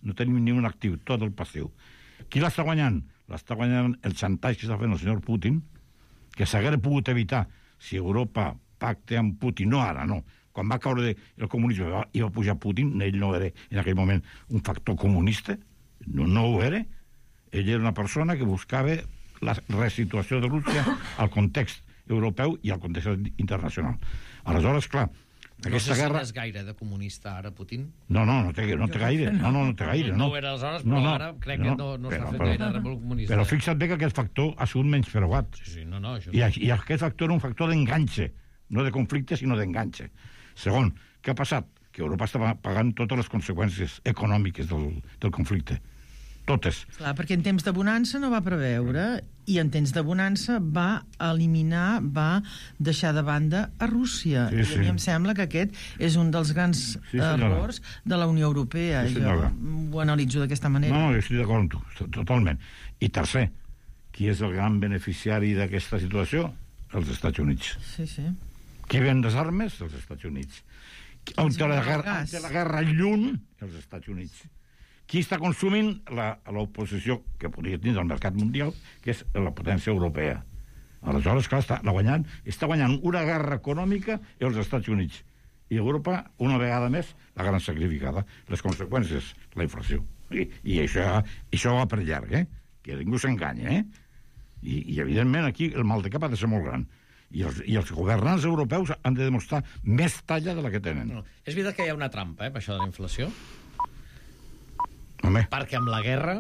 Speaker 7: No tenim ni un actiu, tot el passiu. Qui l'està guanyant? L'està guanyant el xantatge que està fent el senyor Putin, que s'hagués pogut evitar si Europa pacta amb Putin, no ara, no. Quan va caure el comunisme i va pujar Putin, ell no era en aquell moment un factor comunista, no, no ho era. Ell era una persona que buscava la resituació de Rússia al context europeu i al context internacional. Aleshores, clar, aquesta
Speaker 1: no sé
Speaker 7: guerra...
Speaker 1: si és gaire de comunista ara, Putin.
Speaker 7: No, no, no té, no té gaire. No, no, no té gaire. No,
Speaker 1: no ho era aleshores, però no, no, ara crec no, que no, no però, està fent gaire de comunista.
Speaker 7: Però fixa't bé que aquest factor ha sigut menys preuat.
Speaker 1: Sí, sí, no, no, això...
Speaker 7: I, I aquest factor era un factor d'enganxe, no de conflicte, sinó d'enganxe. Segon, què ha passat? Que Europa està pagant totes les conseqüències econòmiques del, del conflicte. totes.
Speaker 8: Clar, perquè en temps de bonança no va preveure i en temps de bonança va eliminar, va deixar de banda a Rússia.
Speaker 7: Sí, sí.
Speaker 8: I a mi em sembla que aquest és un dels grans
Speaker 7: Sí, senyora.
Speaker 8: errors de la Unió Europea.
Speaker 7: Sí,
Speaker 8: jo
Speaker 7: senyora.
Speaker 8: ho analitzo d'aquesta manera.
Speaker 7: No, jo estic d'acord amb tu, totalment. I tercer, qui és el gran beneficiari d'aquesta situació? Els Estats Units.
Speaker 8: Sí, sí.
Speaker 7: Qui ven les armes? Els Estats Units. On té la, guerra, on té la guerra lluny? Els Estats Units. Qui està consumint l'oposició que podria tenir del mercat mundial, que és la potència europea. Aleshores, clar, està guanyant, està guanyant una guerra econòmica els Estats Units. I Europa, una vegada més, la gran sacrificada. Les conseqüències, la inflació. I, i això, això va per llarg, eh? Que ningú s'enganya, eh? I, I, evidentment, aquí el mal de cap ha de ser molt gran. I els, I els governants europeus han de demostrar més talla de la que tenen.
Speaker 1: No. És veritat que hi ha una trampa, eh, per això de la inflació?
Speaker 7: Home.
Speaker 1: Perquè amb la guerra